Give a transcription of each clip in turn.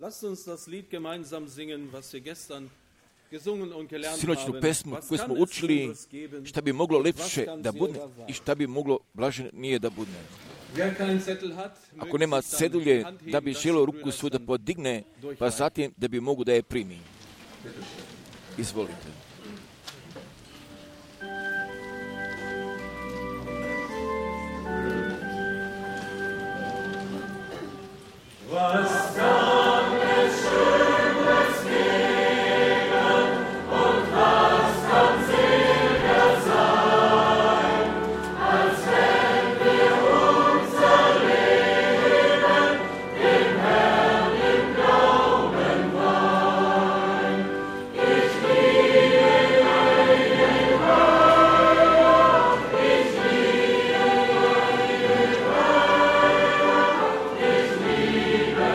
Lasst uns das Lied gemeinsam singen, was wir gestern gesungen und gelernt Sinoćnu haben. pesmu Was koju kann smo es učili, Schöneres geben? šta bi moglo lepše Was kann da bude silber sein? i šta bi moglo blaženije da bude. Wer keinen Zettel hat, Ako möge nema sich dann cedulje, die Hand heben, da bi dass želio der ruku Brüder svoju da dann podigne, pa durchreichen. zatim da bi mogu da je primi. Izvolite. Was kann es Schönes geben und was kann seliger sein, als wenn wir unser Leben dem Herrn im Glauben weihen. Ich liebe deinen Weiher, ich liebe deinen Weiher, ich liebe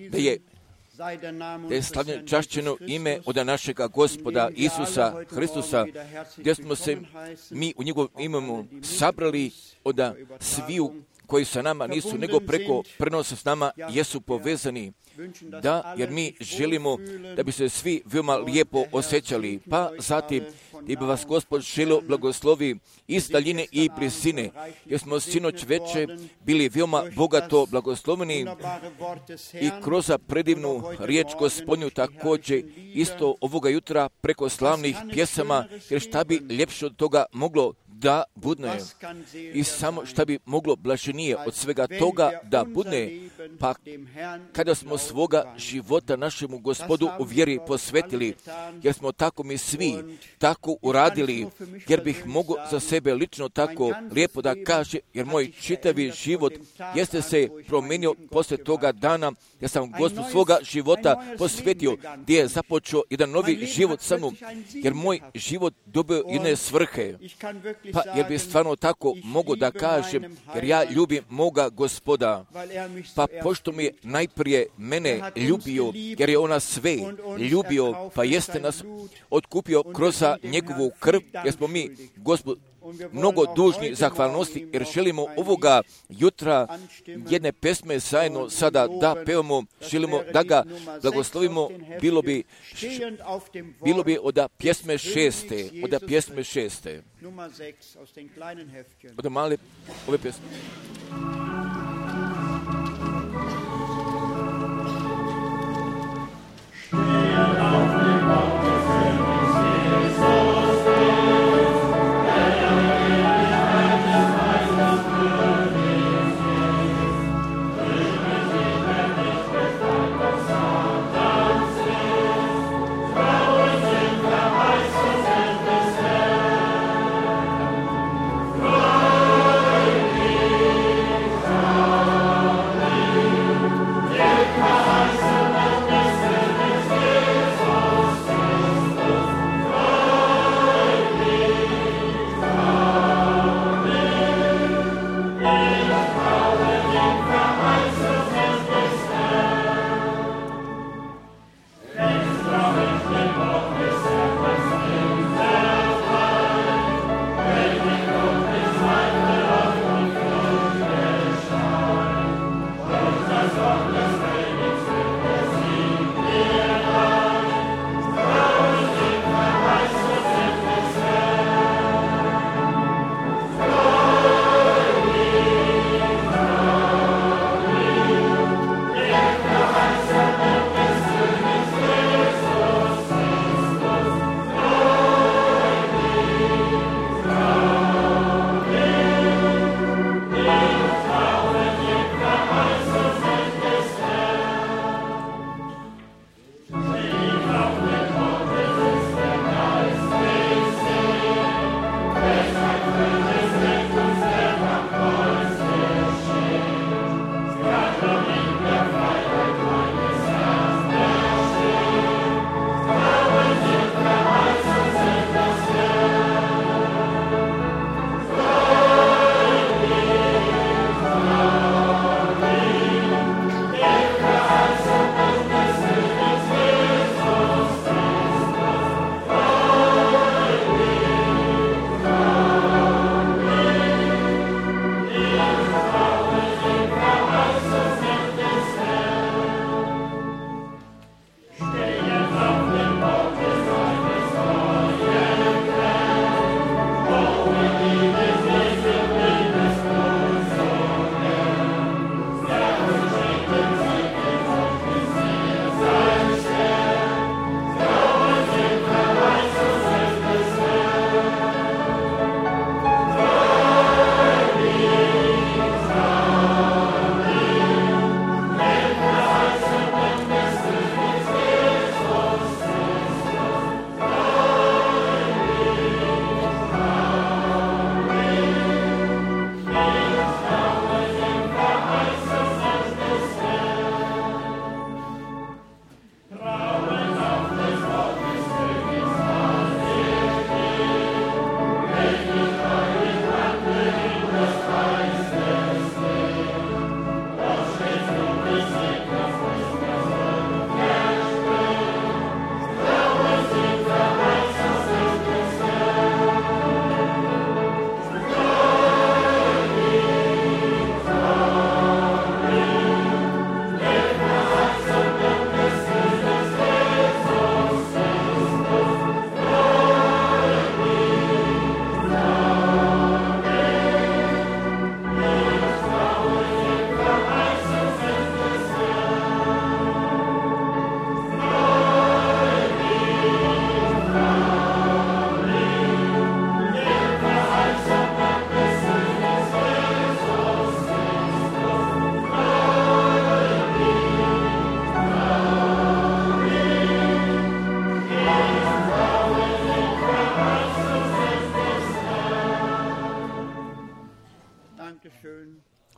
da je slavljeno čašćeno ime od našega Gospoda Isusa Hristusa, gdje smo se mi u njegovom imenu sabrali od sviju koji sa nama nisu, nego preko prenosa s nama jesu povezani. Da, jer mi želimo da bi se svi veoma lijepo osjećali. Pa zatim, da bi vas Gospod želio blagoslovi iz daljine i blizine, jer smo sinoć veče bili veoma bogato blagosloveni i kroz predivnu riječ Gospodnju također isto ovoga jutra preko slavnih pjesama, jer šta bi ljepše od toga moglo da budne i samo šta bi moglo blaženije od svega toga da budne, pa kada smo svoga života našemu Gospodu u vjeri posvetili, jer smo tako mi svi tako uradili, jer bih mogao za sebe lično tako lijepo da kaže, jer moj čitavi život jeste se promijenio poslije toga dana, jer sam Gospodu svoga života posvetio, gdje je započeo jedan novi život sa mnom, jer moj život dobio jedne svrhe. Pa jer bi stvarno tako mogu da kažem, jer ja ljubim moga Gospoda, pa pošto mi je najprije mene ljubio, jer je ona sve ljubio, pa jeste nas otkupio kroz njegovu krv, jer smo mi Gospod mnogo dužni zahvalnosti, jer želimo ovoga jutra jedne pesme zajedno sada da pevamo, želimo da ga blagoslovimo, bilo bi od pjesme 6. Od male ove pjesme.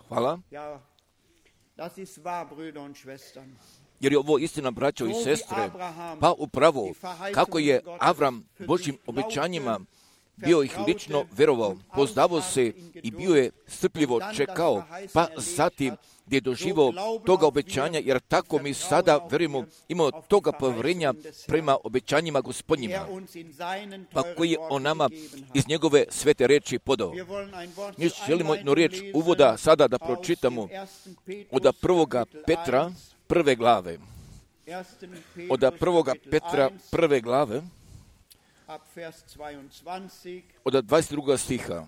Hvala. Jer je ovo istina, braćo i sestre. Pa upravo, kako je Avram Božjim obećanjima bio ih lično verovao, poznavao se i bio je strpljivo čekao, pa zatim gdje je doživao toga obećanja, jer tako mi sada verujemo, imamo toga povjerenja prema obećanjima Gospodnjima, pa koji je on nama iz njegove svete riječi podao. Mi želimo jednu riječ uvoda sada da pročitamo od 1. Petra 1. glave. Od 1. Petra 1. glave, od 22. stiha.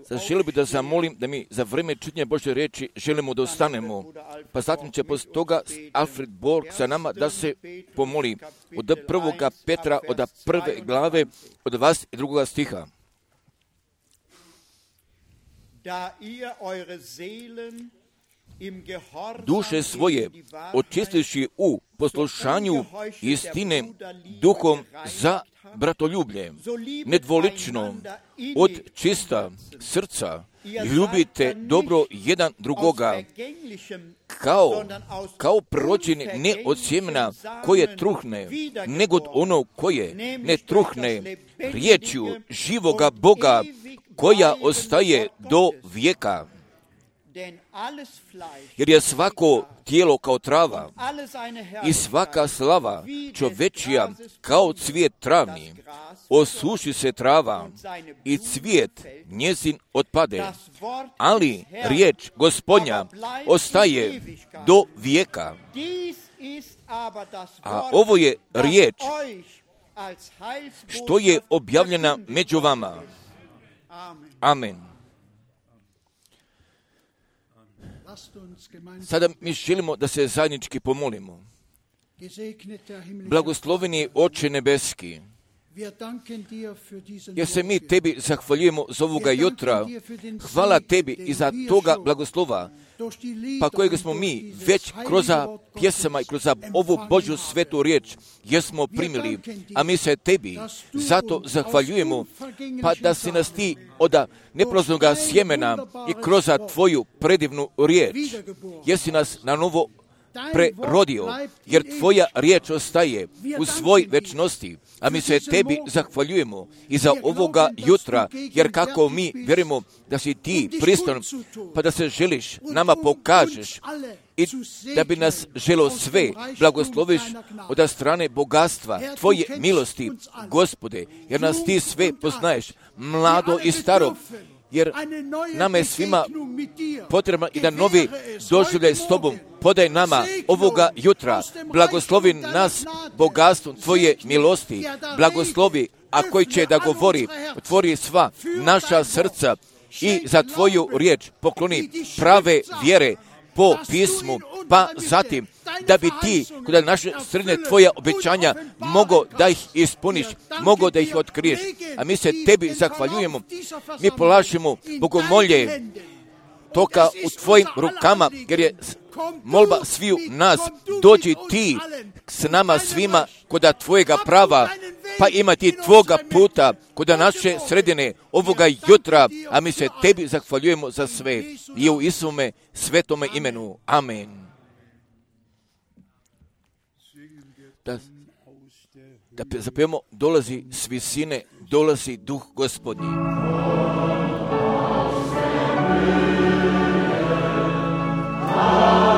Sad želio bih da zamolim da mi za vrijeme čitanja Božje riječi želimo da ostanemo, pa zatim će poslije toga Alfred Borg sa nama da se pomoli od 1. Petra od 1. glave od 22. stiha. Duše svoje očistivši u poslušanju istine duhom za bratoljublje, nedvolično, od čista srca, ljubite dobro jedan drugoga, kao prođeni ne od sjemena koje truhne, nego od onog koje ne truhne, riječju živoga Boga koja ostaje do vijeka. Jer je svako tijelo kao trava i svaka slava čovečija kao cvijet travni. Osuši se trava i cvijet njezin otpade, ali riječ Gospodnja ostaje do vijeka. A ovo je riječ što je objavljena među vama. Amen. Sada mi želimo da se zajednički pomolimo. Blagosloveni Oče nebeski, jer se mi Tebi zahvaljujemo za ovoga jutra. Hvala Tebi i za toga blagoslova, pa kojeg smo mi već kroz pjesama i kroz ovu Božju svetu riječ jesmo primili, a mi se Tebi zato zahvaljujemo, pa da si nas Ti od neproznoga sjemena i kroz Tvoju predivnu riječ, jesi nas na novo prerodio, jer Tvoja riječ ostaje u svoj večnosti, a mi se Tebi zahvaljujemo i za ovoga jutra, jer kako mi vjerujemo da si Ti pristojan, pa da se želiš, nama pokažeš i da bi nas želo sve blagosloviš od strane bogatstva Tvoje milosti, Gospode, jer nas Ti sve poznaješ, mlado i staro, jer nama je svima potrebno i da novi doživljaj s Tobom podaj nama ovoga jutra. Blagoslovi nas bogatstvom Tvoje milosti. Blagoslovi, a koji će da govori, otvori sva naša srca i za Tvoju riječ pokloni prave vjere po pismu, pa zatim da bi Ti kod naše srednje Tvoja obećanja mogo da ih ispuniš, mogo da ih otkriješ. A mi se Tebi zahvaljujemo, mi polažemo bogomolje toka u Tvojim rukama, jer je molba sviju nas, dođi Ti s nama svima kod Tvojega prava, pa imati Tvoga puta kod naše sredine ovoga jutra, a mi se Tebi zahvaljujemo za sve i u Isume svetome imenu. Amen. Da zapijemo, dolazi s visine, dolazi duh Gospodnji. Oh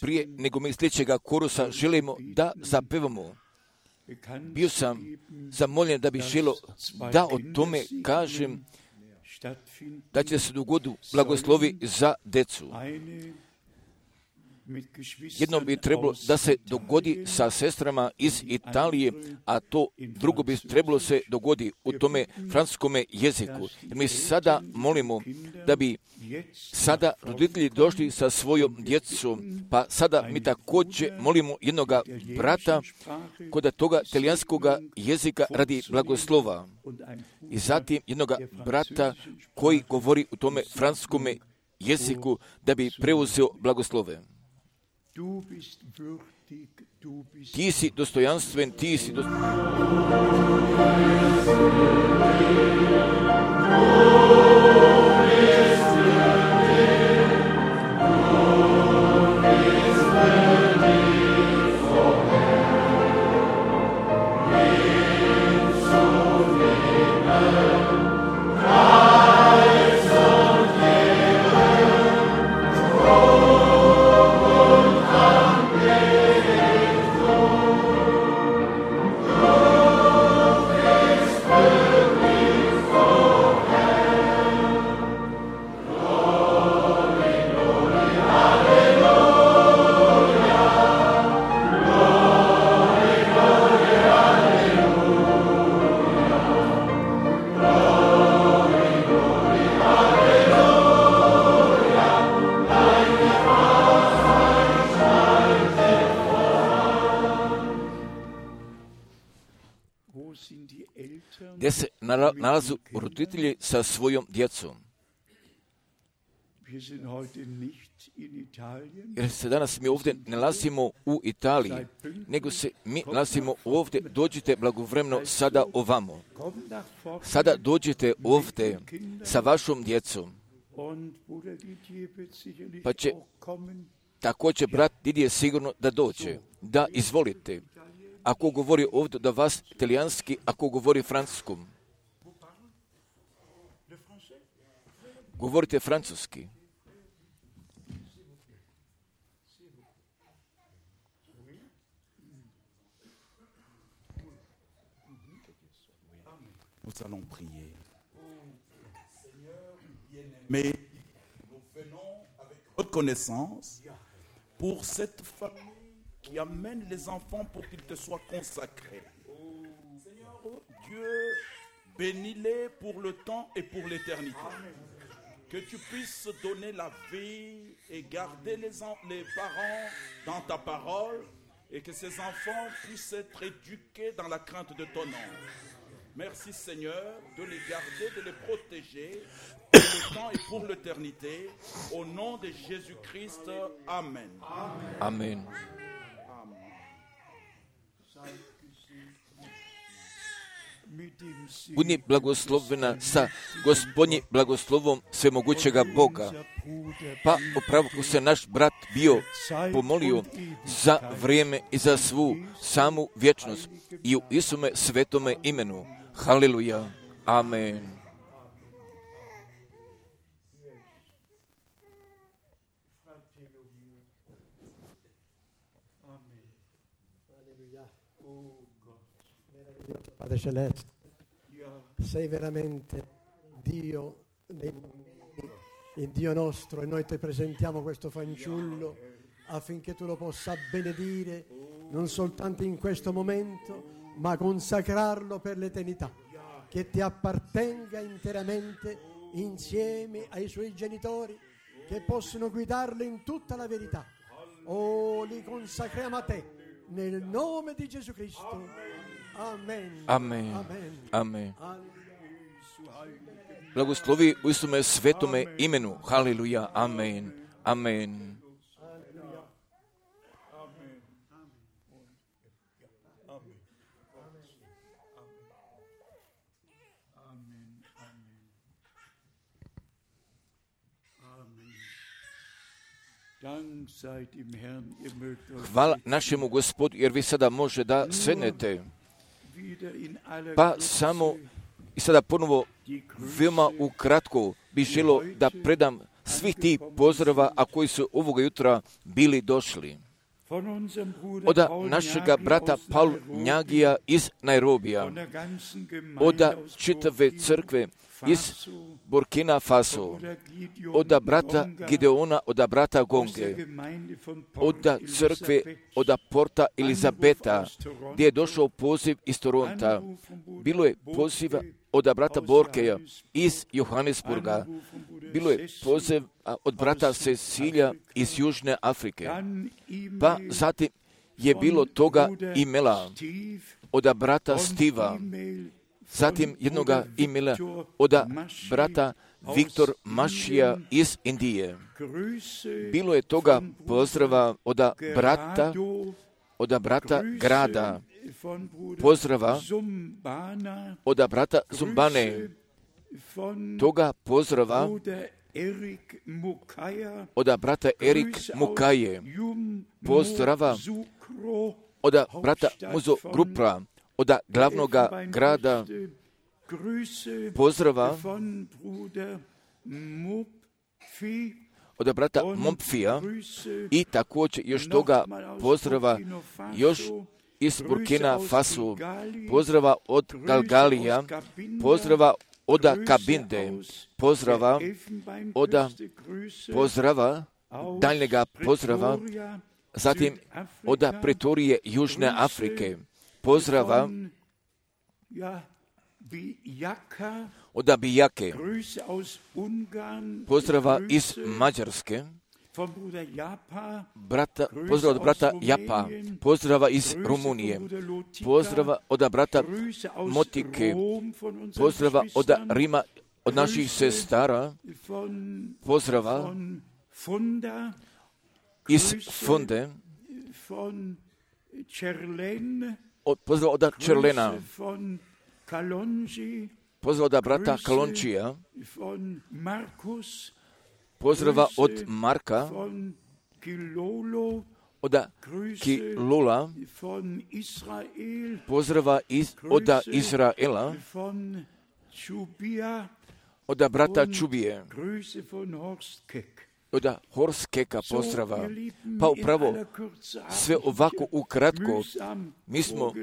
Prije nego mi sljedećega korusa želimo da zapevamo. Bio sam zamoljen da bi želio da o tome kažem, da će se dogoditi blagoslovi za decu. Jedno bi trebalo da se dogodi sa sestrama iz Italije, a to drugo bi trebalo se dogodi u tome francuskome jeziku. Jer mi sada molimo da bi sada roditelji došli sa svojom djecom, pa sada mi također molimo jednoga brata kod toga talijanskog jezika radi blagoslova. I zatim jednoga brata koji govori u tome francuskome jeziku da bi preuzeo blagoslove. Ti si dostojanstven, ti si gdje se nalazu roditelji sa svojom djecom. Jer se danas mi ovdje ne nalazimo u Italiji, nego se mi nalazimo ovdje. Dođite blagovremeno sada ovamo. Sada dođite ovdje sa vašom djecom. Pa će također brat Didije sigurno da dođe. Da, izvolite. Ako govori ovdje da vas italijanski, ako govori francuskom. Govorite francuski. Nous allons prier. Mais nous venons avec reconnaissance pour cette famille qui amène les enfants pour qu'ils te soient consacrés. Seigneur Dieu, bénis-les pour le temps et pour l'éternité. Que tu puisses donner la vie et garder les parents dans ta parole et que ces enfants puissent être éduqués dans la crainte de ton nom. Merci Seigneur de les garder, de les protéger pour le temps et pour l'éternité. Au nom de Jésus-Christ, Amen. Amen. Budi blagoslovena sa Gospodnjim blagoslovom svemogućega Boga. Pa upravo ko se naš brat bio pomolio za vrijeme i za svu samu vječnost i u Isume svetome imenu. Haleluja. Amen. Padre Celeste, sei veramente Dio dei mondi, il Dio nostro, e noi ti presentiamo questo fanciullo affinché tu lo possa benedire non soltanto in questo momento, ma consacrarlo per l'eternità, che ti appartenga interamente insieme ai suoi genitori, che possono guidarlo in tutta la verità. Oh, li consacriamo a te, nel nome di Gesù Cristo. Amen. Amen. Amen. Blagoslovi u Isume svetome imenu. Haleluja. Amen. Amen. Hvala našemu Gospodu, jer vi sada može da sednete. Pa samo i sada ponovo veoma ukratko bih želio da predam svih tih pozdrava, a koji su ovoga jutra bili došli. Od našega brata Paul Njagija iz Nairobija, od čitave crkve iz Burkina Faso, od brata Gideona, od brata Gonge, od crkve, od Porta Elizabeta, gdje je došao poziv iz Toronta. Bilo je poziva od brata Borkeja iz Johannesburga. Bilo je poziv od brata Cecilija iz Južne Afrike. Pa zatim je bilo toga imela od brata Stiva. Zatim jednoga imela od brata Viktor Mašija iz Indije. Bilo je toga pozdrava od brata Grada, pozdrava od brata Zumbane, toga pozdrava od brata Erik Mukaje, pozdrava od brata Muzo Grupra, od glavnoga grada, pozdrava od brata Mompfija i također još toga pozdrava još iz Burkina Faso, pozdrava od Galgalija, pozdrava od Kabinde, pozdrava daljnjega pozdrava, zatim od Pretorije Južne Afrike, pozdrava od Bijake, pozdrava iz Mađarske, pozdrava od brata Japa, pozdrava iz Rumunije, pozdrava od brata Motike, pozdrava od Rima, od naših sestara, pozdrava iz Funde, pozdrava od Čerlena, pozdrava od brata Kalončija, pozdrava od Marka, od Kilula, pozdrava od Izraela, od brata Čubije, od Horskeka pozdrava. Pa upravo sve ovako ukratko mi smo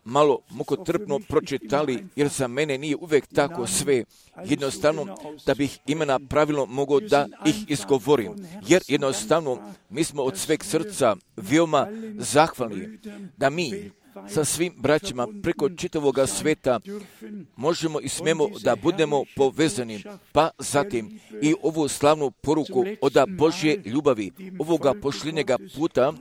malo mukotrpno pročitali, jer za mene nije uvijek tako sve jednostavno da bih imena pravilno mogao da ih izgovorim. Jer jednostavno mi smo od sveg srca veoma zahvalni da mi sa svim braćima preko čitavoga sveta možemo i smemo da budemo povezani, pa zatim i ovu slavnu poruku od Božje ljubavi, ovoga pošljenjega puta,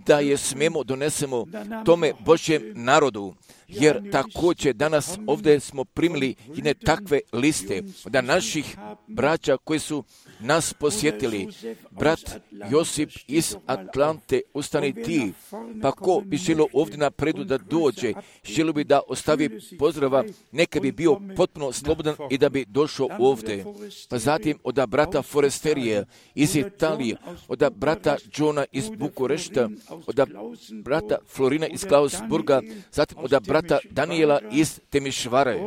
da je smemo donesemo tome Božjem narodu. Jer također danas ovdje smo primili jedne takve liste da naših braća koji su nas posjetili. Brat Josip iz Atlante, ustani ti, pa ko bi želio ovdje napredu da dođe, želio bi da ostavi pozdrava, neka bi bio potpuno slobodan i da bi došao ovdje. Pa zatim od brata Foresterije iz Italije, od brata Johna iz Bukurešta, od brata Florina iz Klausburga, zatim od brata Daniela iz Temišvare,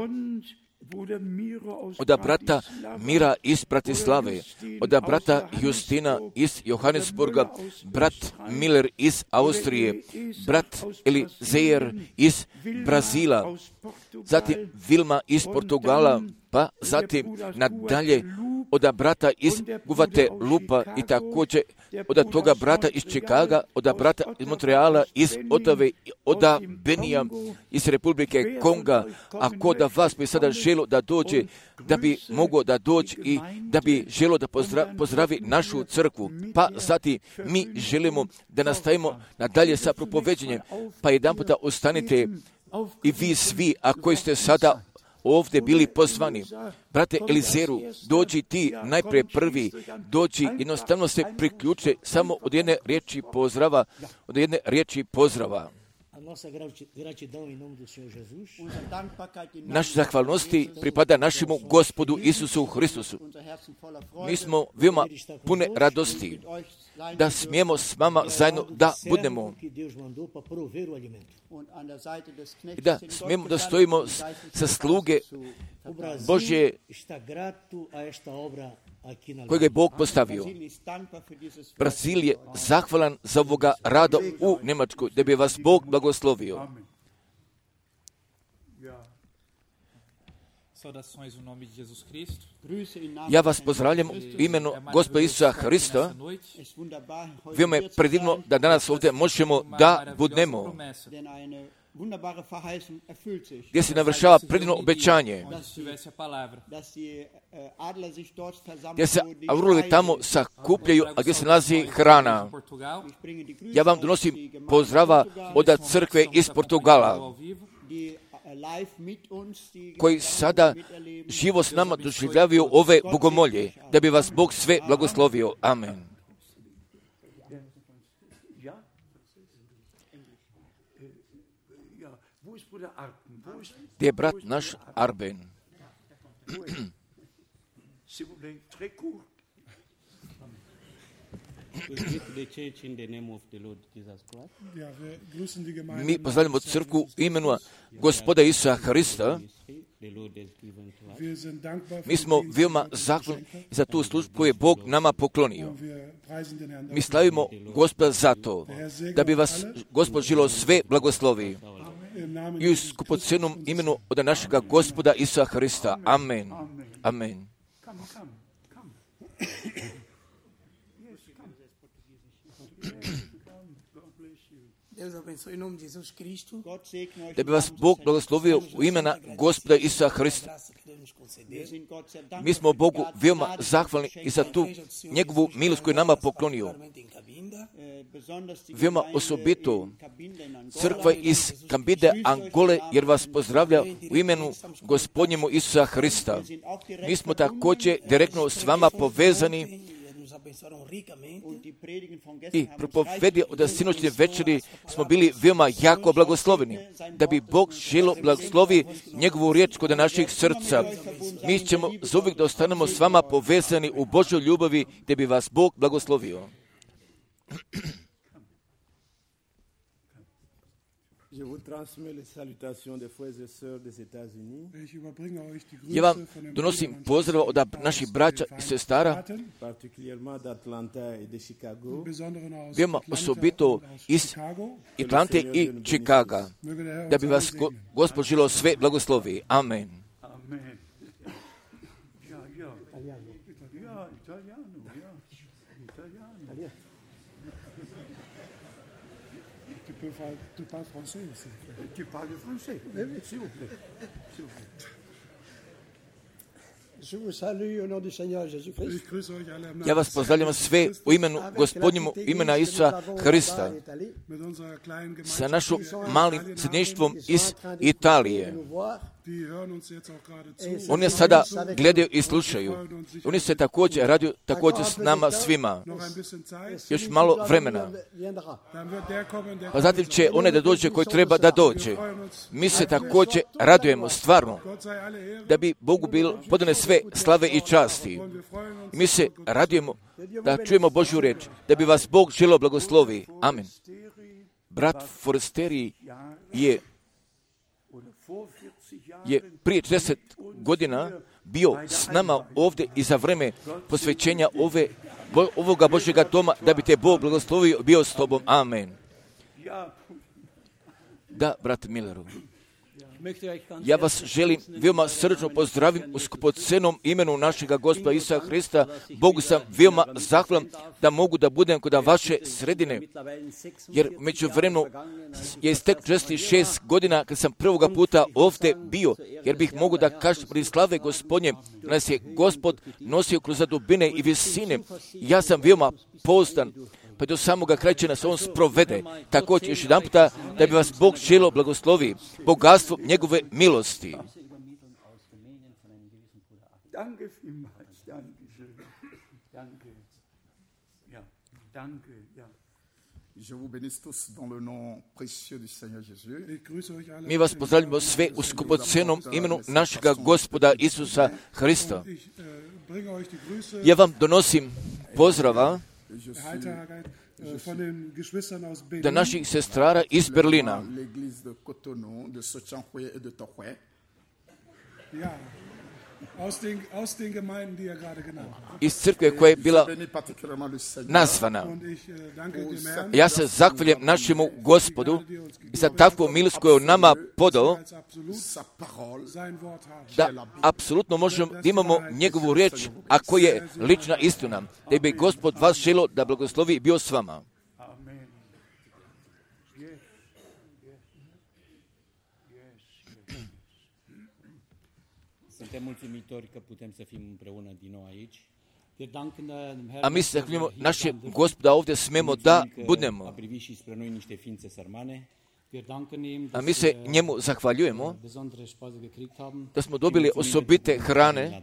od brata Mira iz Bratislave, od brata Justina iz Johannesburga, brat Miller iz Austrije, brat Elizejer iz Brazila, zatim Vilma iz Portugala, pa zatim nadalje od brata iz Guvate Lupa i također od toga brata iz Čikaga, od brata iz Montreala, iz Otave, od Benija, iz Republike Konga. A ko da vas bi sada želo da dođe, da bi mogao da dođe i da bi želo da pozdravi našu crkvu. Pa zatim mi želimo da nastavimo nadalje sa propoveđenjem. Pa jedan puta ostanite i vi svi, a koji ste sada ovdje bili pozvani. Brate Elizeru, dođi ti najprije prvi, dođi, jednostavno se priključe samo od jedne riječi pozdrava. Naš zahvalnosti pripada našemu Gospodu Isusu Hristusu. Mi smo veoma pune radosti da smijemo s vama zajedno da budemo i da smijemo da stojimo sa sluge Božje kojeg je Bog postavio. Brazil je zahvalan za ovoga rada u Njemačkoj, da bi vas Bog blagoslovio. Ja vas pozdravljam u imenu Gospoda Isusa Hrista. Veoma je predivno da danas ovdje možemo da budemo, gdje se navršava predivno obećanje, gdje se aurovi tamo sakupljaju, a gdje se nalazi hrana. Ja vam donosim pozdrava od crkve iz Portugala, koji sada živo s nama doživljavaju ove bogomolje, da bi vas Bog sve blagoslovio. Amen. Gdje je brat naš Arben? Mi pozdravljamo crkvu u imenu Gospoda Isusa Hrista. Mi smo veoma zahvalni za tu službu koju je Bog nama poklonio. Mi slavimo Gospoda za to, da bi vas Gospod žilo sve blagoslovi. I u skupocenom imenu od našega Gospoda Isusa Hrista. Amen. Amen. Da bi vas Bog blagoslovio u imena Gospoda Isusa Hrista. Mi smo Bogu veoma zahvalni i za tu njegovu milost koju nama poklonio. Veoma osobito crkva iz Kambinde, Angole, jer vas pozdravlja u imenu Gospodnjemu Isusa Hrista. Mi smo također direktno s vama povezani i propovedi od sinoćne večeri smo bili veoma jako blagosloveni, da bi Bog želo blagoslovi njegovu riječ kod naših srca. Mi ćemo zauvijek da ostanemo s vama povezani u Božoj ljubavi, da bi vas Bog blagoslovio. Ja vam donosim pozdrav od naših braća i sestara, veoma osobito iz Atlante i Čikaga, da bi vas Gospod žilo sve blagoslovi. Amen. Tu parles français aussi. Tu parles français? Oui, s'il vous plaît. S'il vous plaît. Je vous salue au nom du Seigneur Jésus-Christ. Ja vas pozdravljam sve u imenu Gospodnjemu imena Isusa Hrista sa našom malim srednjištvom iz Italije. Oni sada gledaju i slušaju. Oni se također raduju također s nama svima. Još malo vremena. Pa zatim će onaj da dođe koji treba da dođe. Mi se također radujemo stvarno da bi Bogu bilo podane sve slave i časti. Mi se radujemo da čujemo Božju riječ, da bi vas Bog želio blagoslovi. Amen. Brat Foresteri je prije 40 godina bio s nama ovdje i za vreme posvećenja ovoga Božjega doma, da bi te Bog blagoslovio, bio s tobom. Amen. Da, brat Milleru. Ja vas želim veoma srčno pozdravim u skupocenom imenu našega Gospoda Isusa Hrista. Bogu sam veoma zahvalan da mogu da budem kod vaše sredine, jer među vremenu je istek 6 godina kad sam prvoga puta ovdje bio, jer bih mogu da kažem pri slave Gospodnje, nas je Gospod nosio kroz dubine i visine. Ja sam veoma pouzdan, pa do samoga kraja će nas on sprovede. Također još jedan puta da bi vas Bog želio blagoslovi bogatstvo njegove milosti. Mi vas pozdravljamo sve u skupocenom imenu našega Gospoda Isusa Hrista. Ja vam donosim pozdrava da naših sestrara iz iz crkve koja je bila nazvana. Ja se zahvaljujem našemu Gospodu za takvu milost koju on nama podao, da apsolutno možemo da imamo njegovu riječ, a koja je lična istina, da bi Gospod vas želio da blagoslovi i bio s vama. A mi se zahvaljujemo našem Gospoda ovdje smemo da budemo. A mi se njemu zahvaljujemo da smo dobili osobite hrane,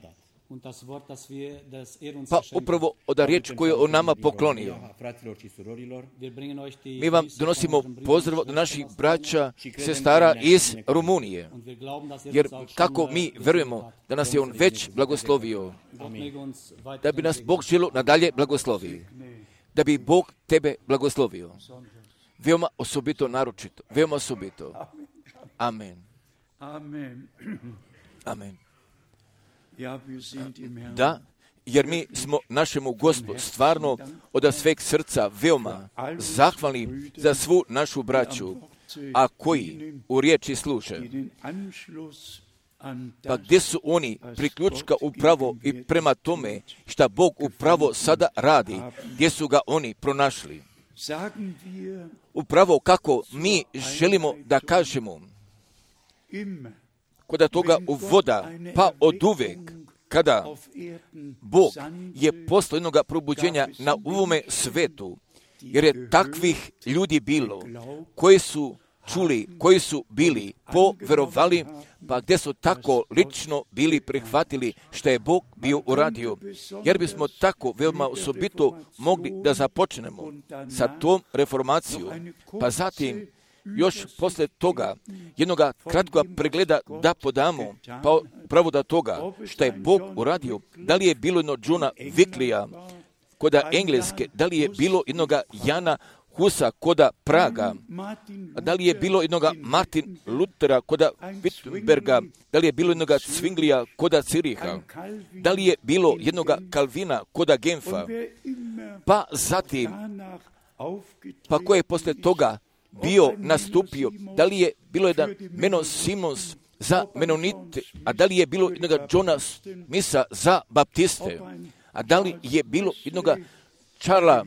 pa upravo od riječ koju je on nama poklonio. Mi vam donosimo pozdrav od naših braća, sestara iz Rumunije, jer kako mi verujemo da nas je on već blagoslovio, da bi nas Bog želio nadalje blagoslovio, da bi Bog tebe blagoslovio. Veoma osobito, naročito, veoma osobito. Amen. Amen. Da, jer mi smo našemu Gospodu stvarno od sveg srca veoma zahvalni za svu našu braću, a koji u riječi služe. Pa gdje su oni priključka upravo i prema tome šta Bog upravo sada radi, gdje su ga oni pronašli. Upravo kako mi želimo da kažemo, kod toga uvoda, pa od uvek, kada Bog je poslao jednog probuđenja na ovome svetu, jer je takvih ljudi bilo, koji su čuli, koji su bili poverovali, pa gdje su tako lično bili prihvatili što je Bog bio uradio. Jer bismo tako veoma osobito mogli da započnemo sa tom reformacijom, pa zatim još posle toga jednog kratkog pregleda da podamo, pa pravo da toga što je Bog uradio, da li je bilo jedno Johna Wicklija koda Engleske, da li je bilo jednog Jana Husa koda Praga, da li je bilo jednog Martin Luthera koda Wittenberga, da li je bilo jednog Zwinglija koda Ziriha, da li je bilo jednog Kalvina koda Genfa, pa zatim, pa ko je posle toga bio nastupio, da li je bilo jedan Menno Simons za Menonite, a da li je bilo jednog Johna Smitha za Baptiste, a da li je bilo jednog Charlesa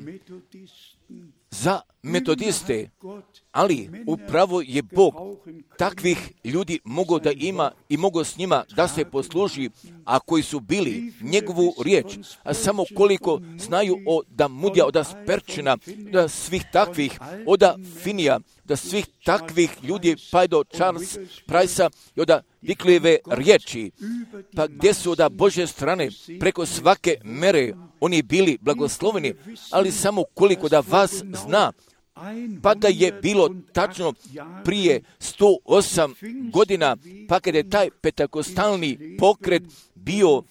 za Metodiste, ali upravo je Bog takvih ljudi mogao da ima i mogao s njima da se posluži, a koji su bili njegovu riječ, a samo koliko znaju da Mudija, od Sperčina, da svih takvih, od Finija, da svih takvih ljudi, pa do Charles Price-a i od Wicklijeve riječi, pa gdje su od Božje strane preko svake mere oni bili blagosloveni, ali samo koliko da vas zna, pa da je bilo tačno prije 108 godina, pa kada je taj pentakostalni pokret bio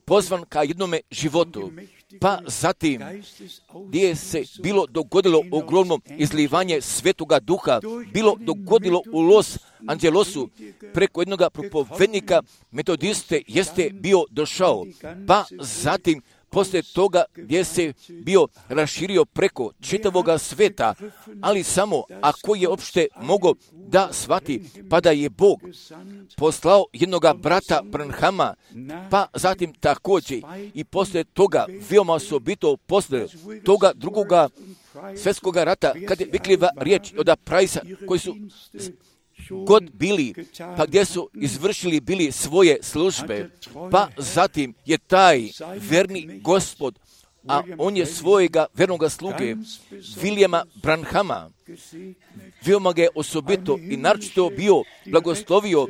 pozvan ka jednome životu, pa zatim gdje se bilo dogodilo ogromno izlivanje Svetoga Duha, bilo dogodilo u Los Angelesu preko jednog propovednika metodiste jeste bio došao, pa zatim poslije toga gdje se bio raširio preko čitavoga sveta, ali samo ako je opšte mogao da shvati, pa da je Bog poslao jednog brata Branhama, pa zatim također i poslije toga, veoma osobito poslije toga drugoga svjetskog rata, kad je Wicklijeva riječ od Price-a, koji su god bili, pa gdje su izvršili bili svoje službe, pa zatim je taj verni Gospod, a on je svojega vernoga sluge, Williama Branhama, veoma ga je osobito i naročito bio blagoslovio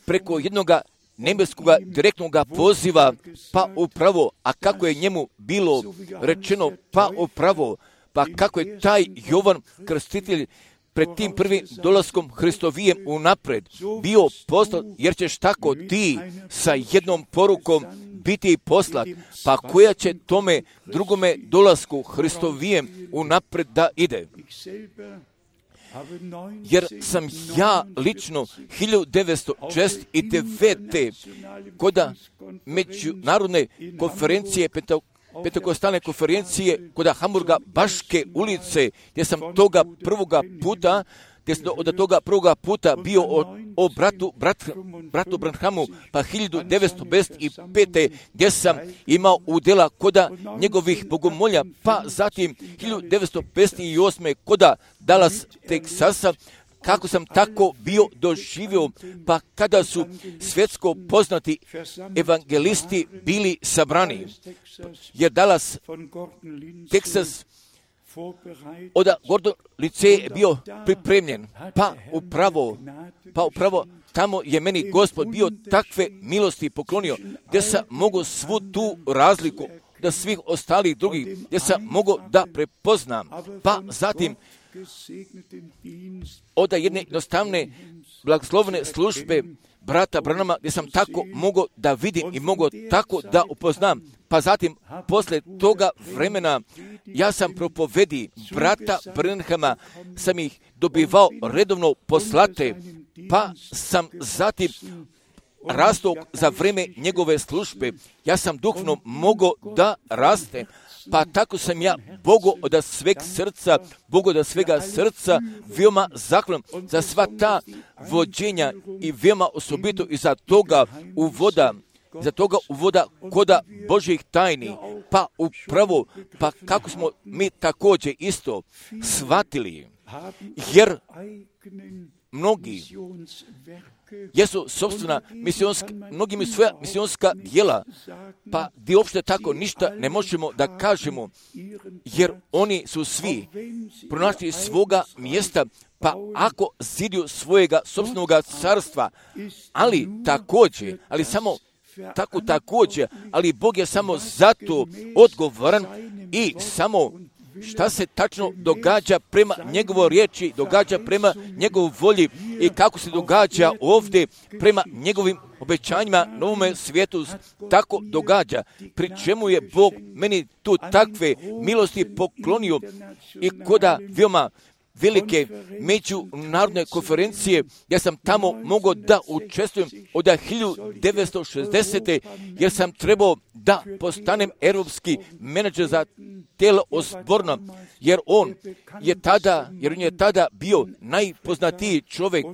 preko jednog nebeskog direktnog poziva, pa upravo, a kako je njemu bilo rečeno, pa upravo, pa kako je taj Jovan Krstitelj pred tim prvim dolaskom Hristovijem unapred bio poslat, jer ćeš tako ti sa jednom porukom biti poslat, pa koja će tome drugome dolasku Hristovijem unapred da ide. jer sam ja lično 1969. kod međunarodne konferencije, Pentekostalne konferencije kod Hamburga Baške ulice, gdje sam od toga prvoga puta bio o bratu Branhamu, pa 1955. gdje sam imao udjela koda njegovih bogomolja, pa zatim 1958. koda Dallas, Teksasa, kako sam tako bio doživio, pa kada su svjetsko poznati evangelisti bili sabrani, jer Dallas, Teksas, od Gordon Lindsay je bio pripremljen, pa upravo tamo je meni Gospod bio takve milosti poklonio, gdje sam mogu svu tu razliku da svih ostalih drugih, gdje sam mogu da prepoznam, pa zatim od jedne jednostavne blagoslovne službe brata Branhama, gdje sam tako mogao da vidim i mogao tako da upoznam. Pa zatim, posle toga vremena, ja sam propovedi brata Branhama, sam ih dobivao redovno poslate, pa sam zatim rastao za vreme njegove službe. Ja sam duhovno mogao da raste, pa tako sam ja Bogu od svega srca veoma zahvalan za sva ta vođenja i veoma osobito i za toga uvoda koda Božjih tajni, pa upravo, pa kako smo mi također isto shvatili, jer mnogi jesu sopstvena mnogi imaju svoja misionska djela, pa gdje uopšte tako ništa ne možemo da kažemo, jer oni su svi pronašli svoga mjesta, pa ako ziduju svojega sopstvenog carstva, ali Bog je samo zato odgovoran i samo šta se tačno događa prema njegovoj riječi, događa prema njegovoj volji i kako se događa ovdje prema njegovim obećanjima novome svijetu, tako događa, pri čemu je Bog meni tu takve milosti poklonio i koda veoma velike međunarodne konferencije, ja sam tamo mogao da učestvujem od 1960. jer sam trebao da postanem europski menadžer za tijelo osborno, jer on je tada bio najpoznatiji čovjek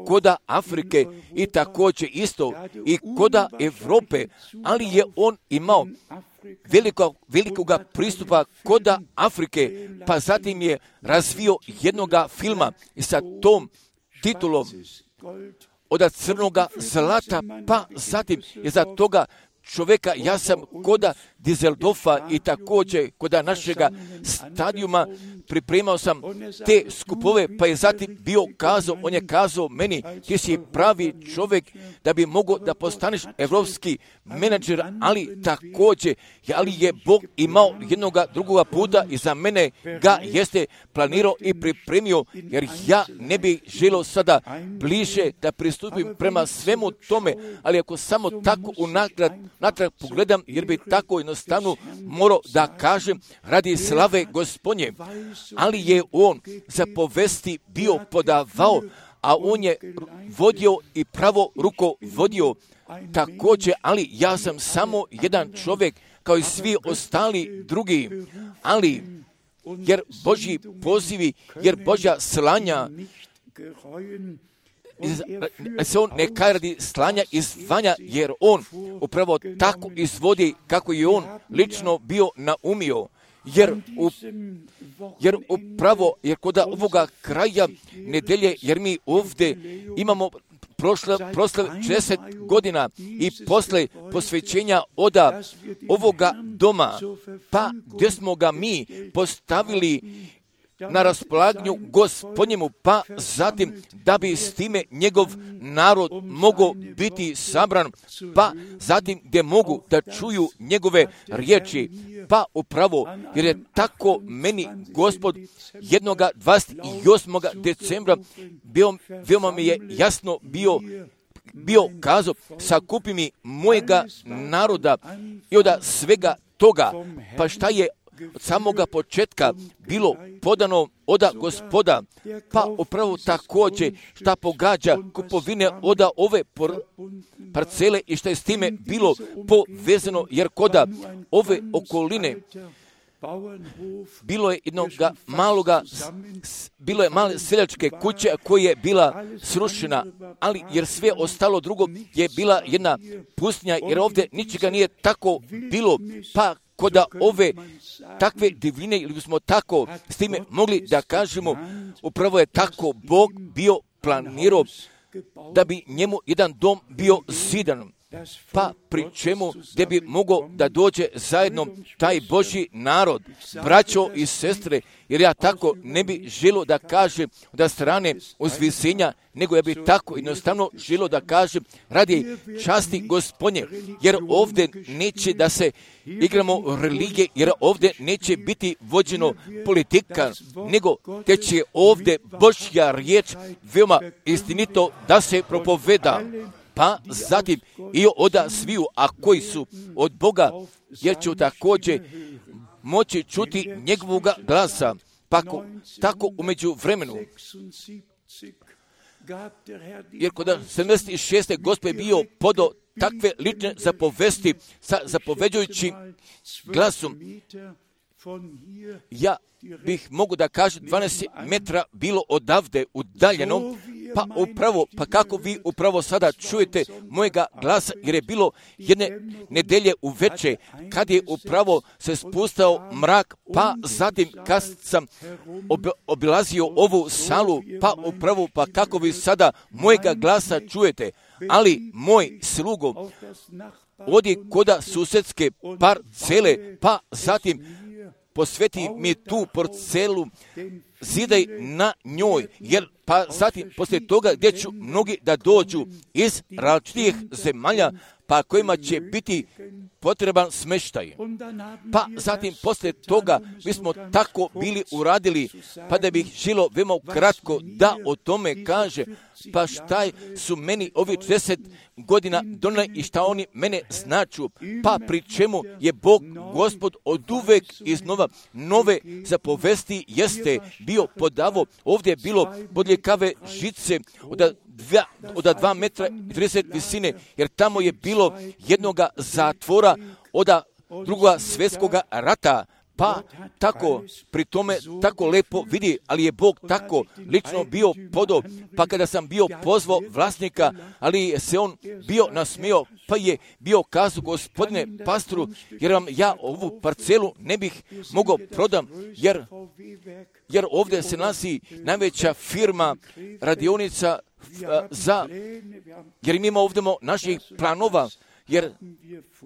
koda Afrike i također isto i koda Europe, ali je on imao velikoga pristupa koda Afrike, pa zatim je razvio jednoga filma i sa tom titulom od crnoga zlata, pa zatim je za toga čovjeka, ja sam koda Dizeldorfa i također koda našega stadijuma pripremao sam te skupove, pa je zatim on je kazao meni, ti si pravi čovjek da bi mogao da postaneš evropski menadžer, ali također, ali je Bog imao jednoga drugoga puta i za mene ga jeste planirao i pripremio, jer ja ne bih želio sada bliže da pristupim prema svemu tome, ali ako samo tako natrag pogledam, jer bi tako jednostavno morao da kažem radi slave Gospodnje, ali je on za povesti bio podavao, a on je vodio i pravo ruko vodio također, ali ja sam samo jedan čovjek kao i svi ostali drugi, ali jer Božji pozivi, jer Božja slanja, se on ne kaj radi slanja i zvanja, jer on upravo tako izvodi kako je on lično bio naumio. Jer kod ovoga kraja nedelje, jer mi ovdje imamo proslav 60 godina i posle posvećenja oda ovoga doma, pa gdje smo ga mi postavili na raspolaganju Gospodnjemu, pa zatim da bi s time njegov narod mogao biti sabran, pa zatim gdje mogu da čuju njegove riječi, pa upravo, jer je tako meni Gospod jednoga 28. decembra veoma mi je jasno bio kazao, sakupi mi mojega naroda i od svega toga, pa šta je od samoga početka bilo podano od Gospoda, pa upravo također šta pogađa kupovine od ove parcele i šta je s time bilo povezano, jer koda ove okoline bilo je bilo je male seljačke kuće koja je bila srušena, ali jer sve ostalo drugo je bila jedna pustinja, jer ovdje ničega nije tako bilo, pa koda ove takve divljine, ili bismo tako s time mogli da kažemo, upravo je tako Bog bio planirao da bi njemu jedan dom bio zidan, pa pri čemu gdje bi mogao da dođe zajedno taj Božji narod, braćo i sestre, jer ja tako ne bi želio da kažem da strane uzvisenja, nego ja bi tako jednostavno želio da kažem radi časti Gospodnje, jer ovdje neće da se igramo religije, jer ovdje neće biti vođeno politika, nego te će ovdje Božja riječ veoma istinito da se propoveda. Pa zatim i od sviju, a koji su od Boga, jer će također moći čuti njegovog glasa. Pa tako umeđu vremenu, jer kod 76. Gospod je bio podo takve lične zapovesti sa zapoveđujućim glasom. Ja bih mogu da kažem 12 metra bilo odavde udaljeno, pa kako vi upravo sada čujete mojega glasa, jer je bilo jedne nedelje uveče kad je upravo se spustao mrak, pa zatim kad sam obilazio ovu salu, pa kako vi sada mojega glasa čujete, ali moj slugo odi koda susedske parcele, pa zatim posveti mi tu parcelu, zidaj na njoj, jer pa zatim poslije toga gdje ću mnogi da dođu iz različitih zemalja, pa kojima će biti potreban smještaj. Pa zatim poslije toga mi smo tako bili uradili, pa da bih želio veoma kratko da o tome kaže, pa šta su meni ovi 40 godina donali i šta oni mene značu, pa pri čemu je Bog Gospod od uvek iznova nove zapovesti jeste bio podavo. Ovdje je bilo bodljikave žice od 2 metra i 30 visine, jer tamo je bilo jednoga zatvora od drugoga svjetskoga rata, pa tako pri tome tako lepo vidi, ali je Bog tako lično bio podao, pa kada sam bio pozvao vlasnika, ali se on bio nasmio, pa je bio kazao, gospodine pastoru, jer vam ja ovu parcelu ne bih mogao prodam, jer ovdje se nalazi najveća firma radionica jer mi imamo ovdje naših planova, jer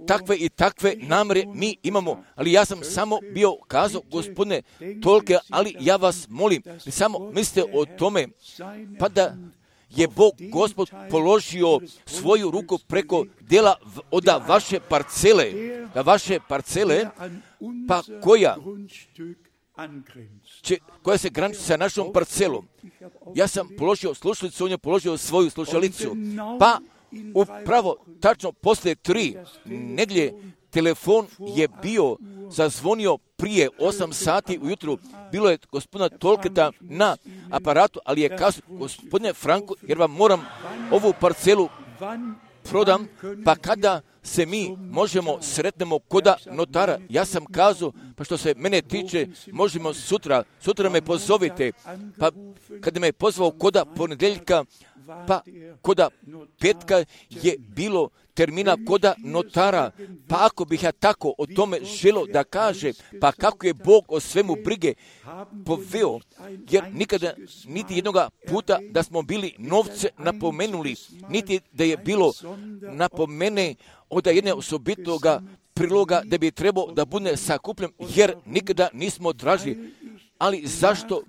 takve i takve namere mi imamo, ali ja sam samo bio kazao, gospodine tolke, ali ja vas molim, samo mislite o tome, pa da je Bog Gospod položio svoju ruku preko dela od vaše parcele, pa koja se graniči sa našom parcelom. Ja sam položio slušalicu, on je položio svoju slušalicu, pa upravo tačno poslije 3 nedjelje telefon je bio zazvonio prije 8 sati ujutru. Bilo je gospodina Tolketa na aparatu, ali je kazao, gospodine Franko, jer vam moram ovu parcelu prodam, pa kada se mi možemo sretnemo koda notara. Ja sam kazao, pa što se mene tiče, možemo sutra me pozovite, pa kada me je pozvao koda ponedjeljka, pa koda petka je bilo termina koda notara, pa ako bih ja tako o tome želio da kaže, pa kako je Bog o svemu brige poveo, jer nikada niti jednoga puta da smo bili novce napomenuli, niti da je bilo napomene od jedne osobitoga priloga da bi trebao da bude sakupljen, jer nikada nismo tražili. Ali zašto?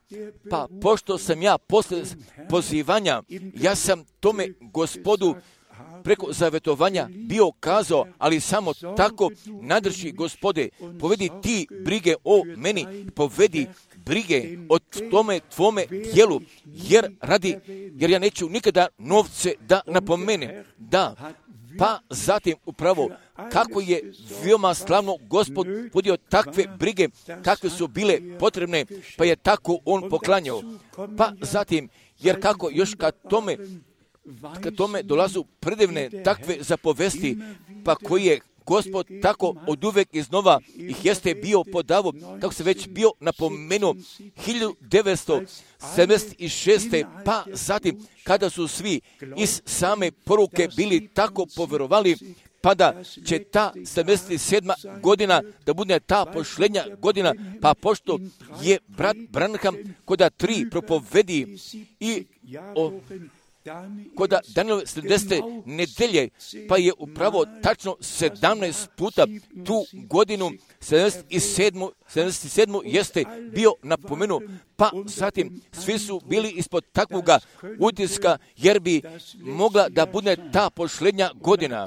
Pa pošto sam ja posle pozivanja, ja sam tome Gospodu preko zavetovanja bio kazao, ali samo tako nadrži Gospode, povedi ti brige o meni, povedi brige o tome tvome dijelu, jer ja neću nikada novce da napomenem. Da, pa zatim upravo kako je veoma slavno Gospod vodio takve brige, kakve su bile potrebne, pa je tako on poklanjao. Pa zatim, jer kako još kad tome dolazu predivne takve zapovesti, pa koji je Gospod tako od uvek iznova ih jeste bio podavo, kako se već bio napomenuo 1976. Pa zatim, kada su svi iz same poruke bili tako poverovali, pa da će ta 77. godina da bude ta pošlenja godina, pa pošto je brat Branham koda 3 propovedi i koda Danielove 70. nedelje, pa je upravo tačno 17 puta tu godinu 77. jeste bio napomenuo, pa zatim svi su bili ispod takvoga utiska, jer bi mogla da bude ta pošlenja godina.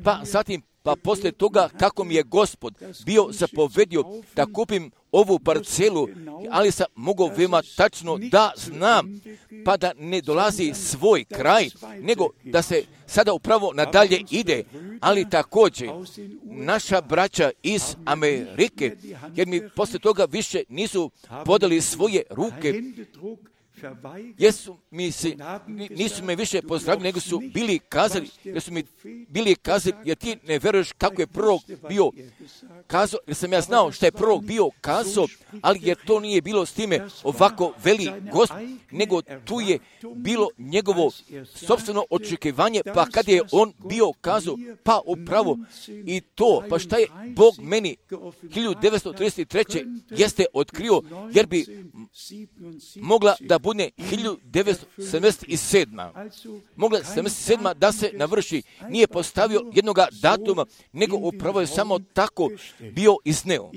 Pa zatim, pa poslije toga kako mi je Gospod bio zapovedio da kupim ovu parcelu, ali sam mogao veoma tačno da znam, pa da ne dolazi svoj kraj, nego da se sada upravo nadalje ide, ali također naša braća iz Amerike, jer mi poslije toga više nisu podali svoje ruke, nisu me više pozdravili, nego su bili kazali, jer ti ne veruješ kako je prorok bio kazao, jer sam ja znao šta je prorok bio kazao, ali jer to nije bilo s time ovako veli Gospod, nego tu je bilo njegovo sopstveno očekivanje, pa kad je on bio kazao, pa upravo i to, pa šta je Bog meni 1933. jeste otkrio, jer bi mogla da bude 1977. Mogla 77. da se navrši. Nije postavio jednoga datuma, nego upravo je samo tako bio izneo.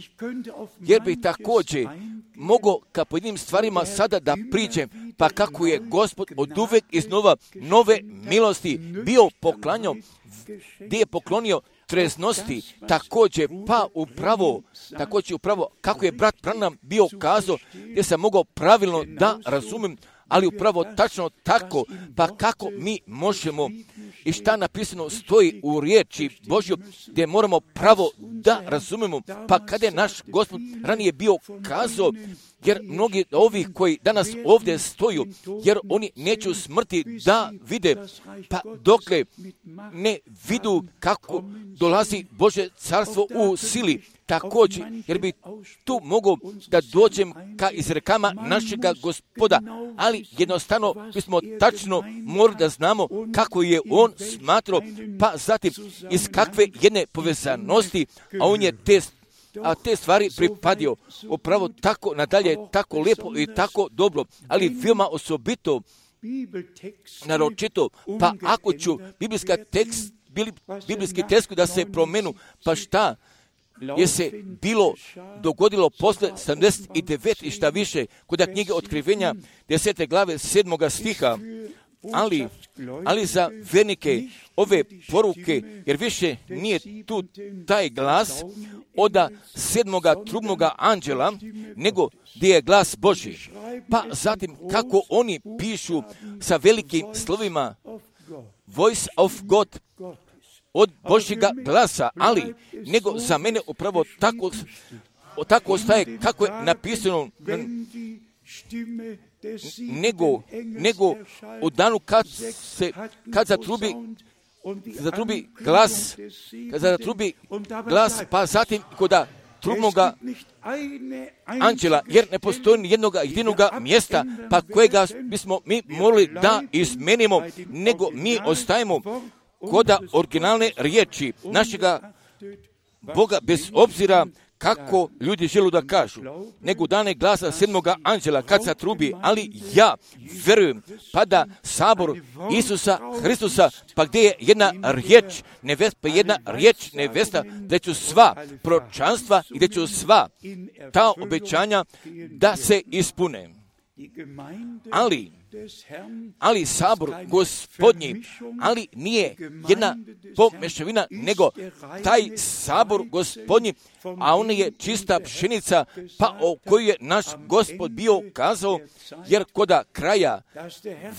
Jer bi također mogao ka pojedinim stvarima sada da priđem, pa kako je Gospod od uvek iznova nove milosti bio poklanjao, gdje je poklonio treznosti, također upravo kako je brat Branham bio kazao, gdje sam mogao pravilno da razumem, ali upravo tačno tako, pa kako mi možemo i šta napisano stoji u riječi Božju, gdje moramo pravo da razumemo, pa kada je naš Gospod ranije bio kazao, jer mnogi ovih koji danas ovdje stoju, jer oni neću smrti da vide, pa dokle ne vidu kako dolazi Božje carstvo u sili, također, jer bi tu mogao da dođem ka izrekama našega Gospoda, ali jednostavno bismo tačno morali da znamo kako je on smatrao, pa zatim iz kakve jedne povezanosti, a on je te stvari pripadio upravo tako nadalje, tako lijepo i tako dobro, ali veoma osobito, naročito, pa ako ću biblijski tekst da se promenu, pa šta je se dogodilo posle 79 i šta više, kod knjige Otkrivenja 10. glave 7. stiha, ali za vernike ove poruke, jer više nije tu taj glas od 7. trubnoga anđela, nego gdje je glas Božji. Pa zatim kako oni pišu sa velikim slovima Voice of God, od Božjega glasa, ali nego za mene upravo tako ostaje kako je napisano, nego u danu kad zatrubi glas, pa zatim kod trubnoga anđela, jer ne postoji ni jednog jedinoga mjesta, pa kojega bismo mi morali da izmenimo, nego mi ostajemo kod originalne riječi našega Boga, bez obzira kako ljudi žele da kažu, nego dane glasa 7. anđela kad se trubi, ali ja verujem, pa da sabor Isusa Hristusa, pa gdje je jedna riječ nevesta, gdje ću sva proročanstva i gdje ću sva ta obećanja da se ispune. Ali ali sabor Gospodnji, ali nije jedna pomešavina, nego taj sabor Gospodnji, a on je čista pšenica, pa o kojoj je naš Gospod bio kazao, jer koda kraja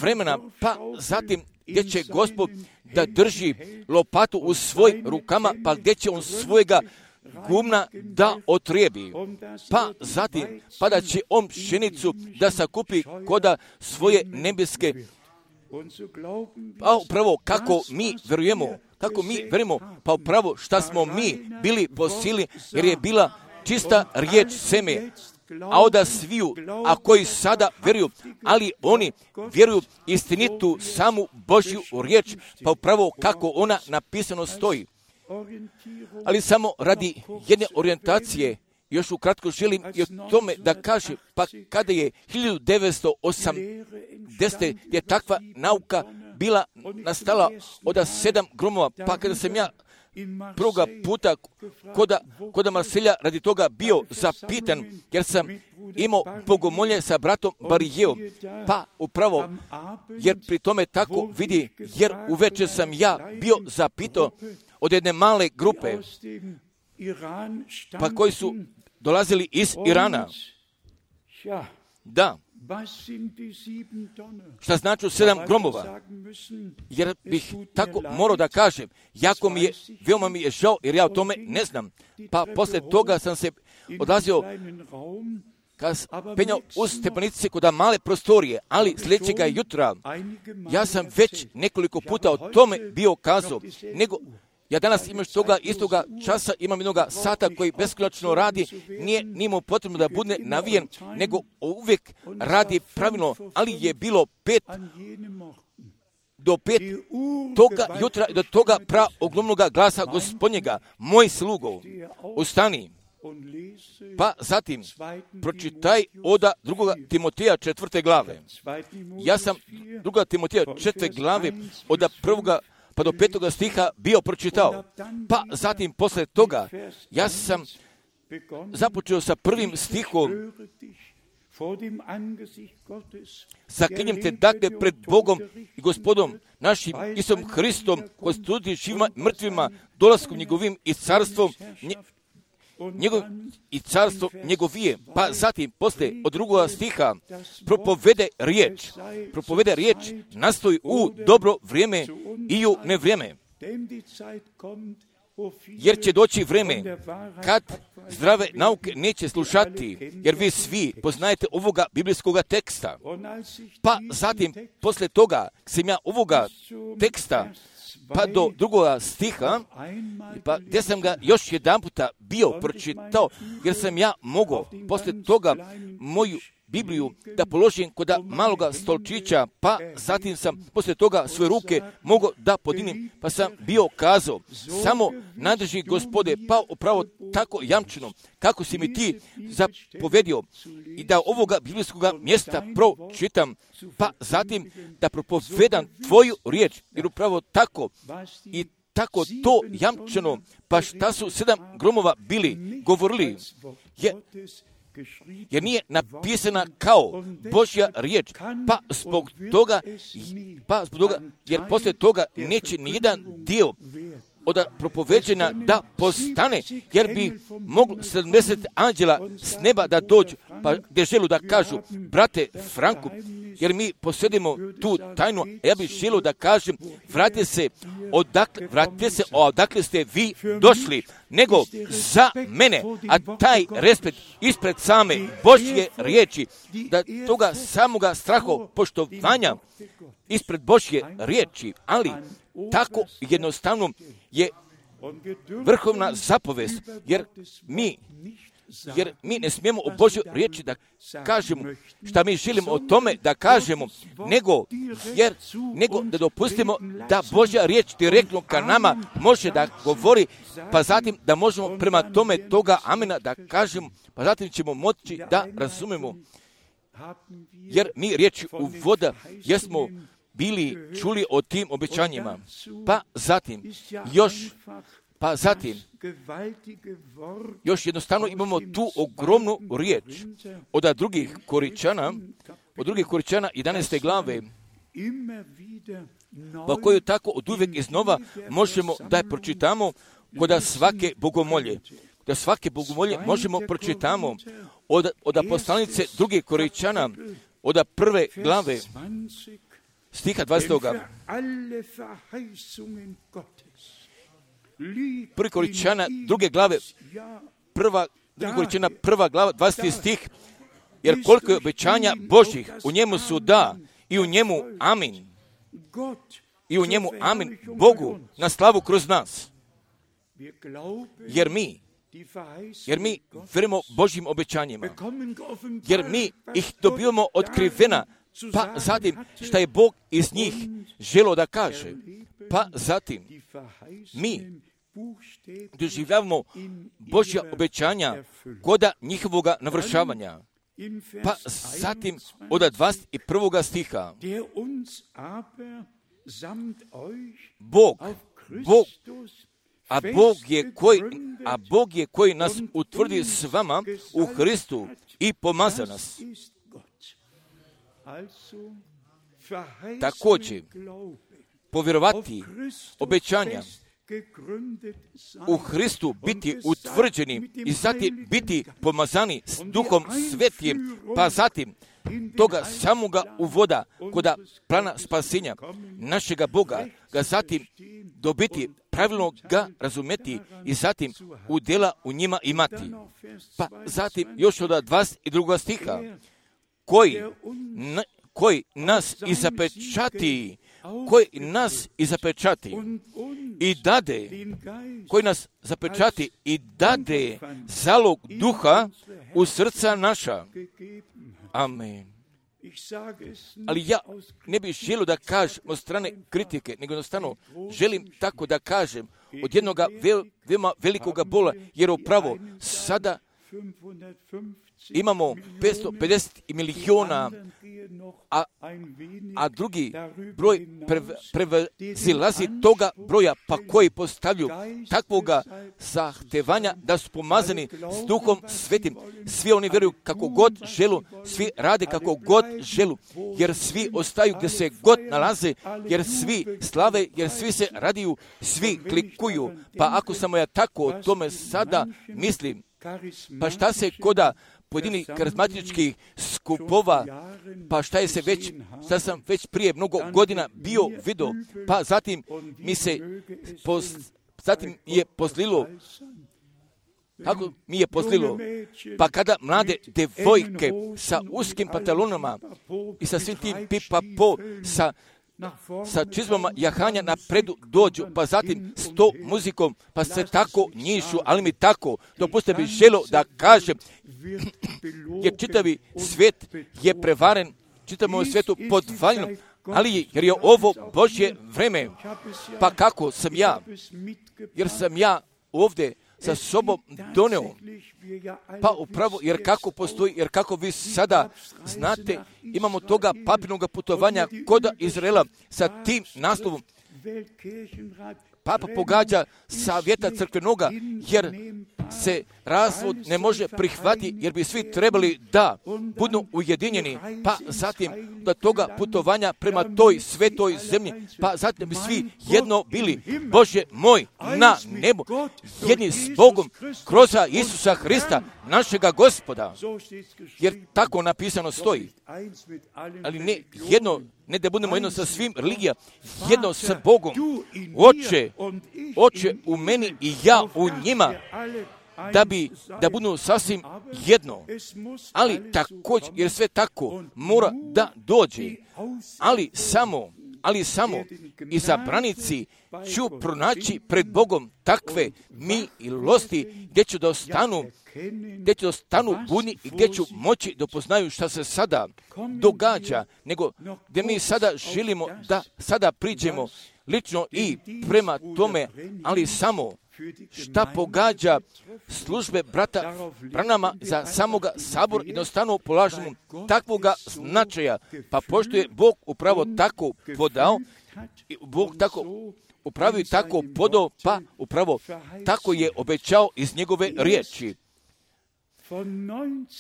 vremena, pa zatim gdje će Gospod da drži lopatu u svojim rukama, pa gdje će on svojega gumna da otrijebi, pa zatim pa da će on pšenicu da sakupi koda svoje nebeske. Pa upravo kako mi verujemo, pa upravo šta smo mi bili po sili, jer je bila čista riječ seme, a onda sviju, a koji sada vjeruju, ali oni vjeruju istinitu samu Božju riječ, pa upravo kako ona napisano stoji. Ali samo radi jedne orijentacije, još ukratko želim i o tome da kažem, pa kada je 1980. je takva nauka bila nastala od 7 gromova, pa kada sam ja prvoga puta koda Marselja radi toga bio zapitan, jer sam imao bogomolje sa bratom Barijevom, pa upravo, jer pri tome tako vidi, jer uveče sam ja bio zapitao od jedne male grupe, pa koji su dolazili iz Irana. Da, šta znači 7 gromova? Jer bih tako morao da kažem, veoma mi je žao, jer ja o tome ne znam. Pa posle toga sam se odlazio, kad penjao uz stepenice kod male prostorije, ali sljedećega jutra, ja sam već nekoliko puta o tome bio kazao, nego ja danas imaš toga istoga časa, imam jednoga sata koji beskonačno radi, nije mu potrebno da bude navijen, nego uvijek radi pravilno, ali je bilo 5 do 5 toga jutra do toga praoglomnoga glasa Gospodnjega, moj slugo, ustani. Pa zatim pročitaj od 2. Timoteja 4. glave. Ja sam 2. Timoteja 4. glave od 1. pa do 5. stiha bio pročitao. Pa zatim posle toga ja sam započeo sa 1. stihom. Zaklinjem te dakle pred Bogom i Gospodom našim Isusom Hristom, koji sudi živima mrtvima, dolaskom njegovim i carstvom i carstvo njegovije. Pa zatim posle od 2. stiha propovede riječ nastoji u dobro vrijeme i u nevrijeme. Jer će doći vrijeme kad zdrave nauke neće slušati, jer vi svi poznajete ovoga biblijskoga teksta. Pa zatim posle toga sam ja ovoga teksta pa do 2. stiha, pa gdje sam ga još jedan puta bio pročitao, jer sam ja mogao posle toga moju Bibliju da položim kod maloga stolčića, pa zatim sam posle toga svoje ruke mogao da podinim, pa sam bio kazao, samo nadrži Gospode, pa upravo tako jamčeno, kako si mi ti zapovedio, i da ovoga biblijskoga mjesta pročitam, pa zatim da propovedam tvoju riječ, jer upravo tako i tako to jamčeno, pa šta su 7 gromova bili govorili, jer nije napisana kao Božja riječ, pa zbog toga, jer poslije toga neće nijedan dio od propoveđena da postane, jer bi moglo 70 anđela s neba da dođu, pa gdje želu da kažu, brate Franku, jer mi posjedimo tu tajnu, ja bih želio da kažem, vratite se odakle ste vi došli, nego za mene, a taj respekt ispred same Božje riječi, da toga samoga strahopoštovanja ispred Božje riječi, ali tako jednostavno je vrhovna zapovest, jer mi ne smijemo o Božjoj riječi da kažemo šta mi želimo o tome da kažemo, nego da dopustimo da Božja riječ direktno ka nama može da govori, pa zatim da možemo prema tome toga amena da kažemo, pa zatim ćemo moći da razumemo, jer mi riječi u voda jesmo bili čuli o tim obećanjima. Pa zatim još jednostavno imamo tu ogromnu riječ od drugih Koričana od 2. Korinčana 11. glave, pa koju tako od uvijek iznova možemo da je pročitamo kod svake bogomolje. Da svake bogomolje možemo pročitamo od poslanice 2. Korinčana, od 1. glave, stiha 20. 1. Korinčana 2. glave, 2. Korinčana 1. glava, 20. stih, jer koliko je obećanja Božjih, u njemu su da i u njemu amin. I u njemu amin Bogu na slavu kroz nas. Jer mi vjerujemo Božjim obećanjima. Jer mi ih dobivamo otkrivena, pa zatim šta je Bog iz njih želio da kaže. Pa zatim mi doživljavamo Božja obećanja koda njihovoga navršavanja. Pa zatim od 21. stiha Bog je koji nas utvrdi s vama u Hristu i pomaza nas. Također, povjerovati obećanja u Hristu biti utvrđeni i zatim biti pomazani s Duhom Svetim, pa zatim toga samoga uvoda koda plana spasenja našega Boga, ga zatim dobiti, pravilno ga razumeti i zatim udjela u njima imati. Pa zatim još od 22. stiha, koji nas i zapečati i dade, koji nas zapečati i dade zalog duha u srca naša. Amen. Ali ja ne bih želio da kažem od strane kritike, nego jednostavno želim tako da kažem od jednog veoma velikoga bola, jer upravo sada imamo 550 miliona, a drugi broj prevazilazi toga broja, pa koji postavljaju takvoga zahtevanja da su pomazani s Duhom Svetim. Svi oni vjeruju kako god želu, svi rade kako god želu, jer svi ostaju gdje se god nalaze, jer svi slave, jer svi se radiju, svi klikuju. Pa ako samo ja tako o tome sada mislim, pa šta se koda pojedinih karizmatičkih skupova, pa šta sam već prije mnogo godina bio vidio, pa zatim je poslilo, kako mi je poslilo, pa kada mlade devojke sa uskim pantalonama i sa svim tim pipa-po, sa čizmama jahanja napredu dođu, pa zatim s to muzikom, pa se tako njišu, ali mi tako, dopustite bi želo da kažem, jer čitavi svijet je prevaren, čitavom svijetu podvaljeno, ali jer je ovo Božje vreme, pa kako sam ja, jer sam ja ovdje sa sobom doneo, pa upravo, jer kako postoji, jer kako vi sada znate, imamo toga papirnog putovanja koda Izraela sa tim naslovom. Papa pogađa savjeta crkvenoga, jer se razvod ne može prihvatiti, jer bi svi trebali da budu ujedinjeni, pa zatim do toga putovanja prema toj svetoj zemlji, pa zatim bi svi jedno bili, Bože moj, na nebu, jedni s Bogom, kroz Isusa Hrista, našega Gospoda, jer tako napisano stoji. Ali ne jedno, ne da budemo jedno sa svim religijama, jedno sa Bogom. Oče u meni i ja u njima, da budu sasvim jedno. Ali također, jer sve tako mora da dođe, ali samo izabranici ću pronaći pred Bogom takve milosti gdje ću da stanu budni i gdje ću moći da poznaju šta se sada događa, nego gdje mi sada želimo da sada priđemo lično i prema tome, ali samo šta pogađa službe brata Branama za samoga sabora, jednostavno polažemo takvoga značaja, pa pošto je Bog upravo tako podao, Bog tako upravo i tako podao, pa upravo tako je obećao iz njegove riječi.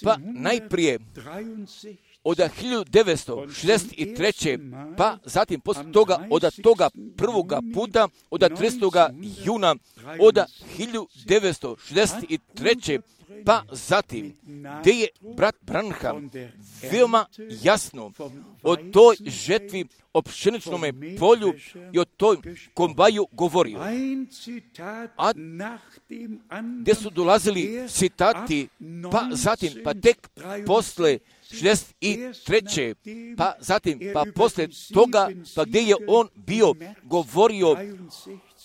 Pa najprije od 1963. pa zatim poslije toga od toga prvoga puta od 30. juna od 1963. pa zatim gdje je brat Branham veoma jasno o toj žetvi, o pšeničnome polju i o toj kombaju govorio. A gdje su dolazili citati, pa zatim, pa tek posle 63. pa zatim, pa posle toga, pa gdje je on bio govorio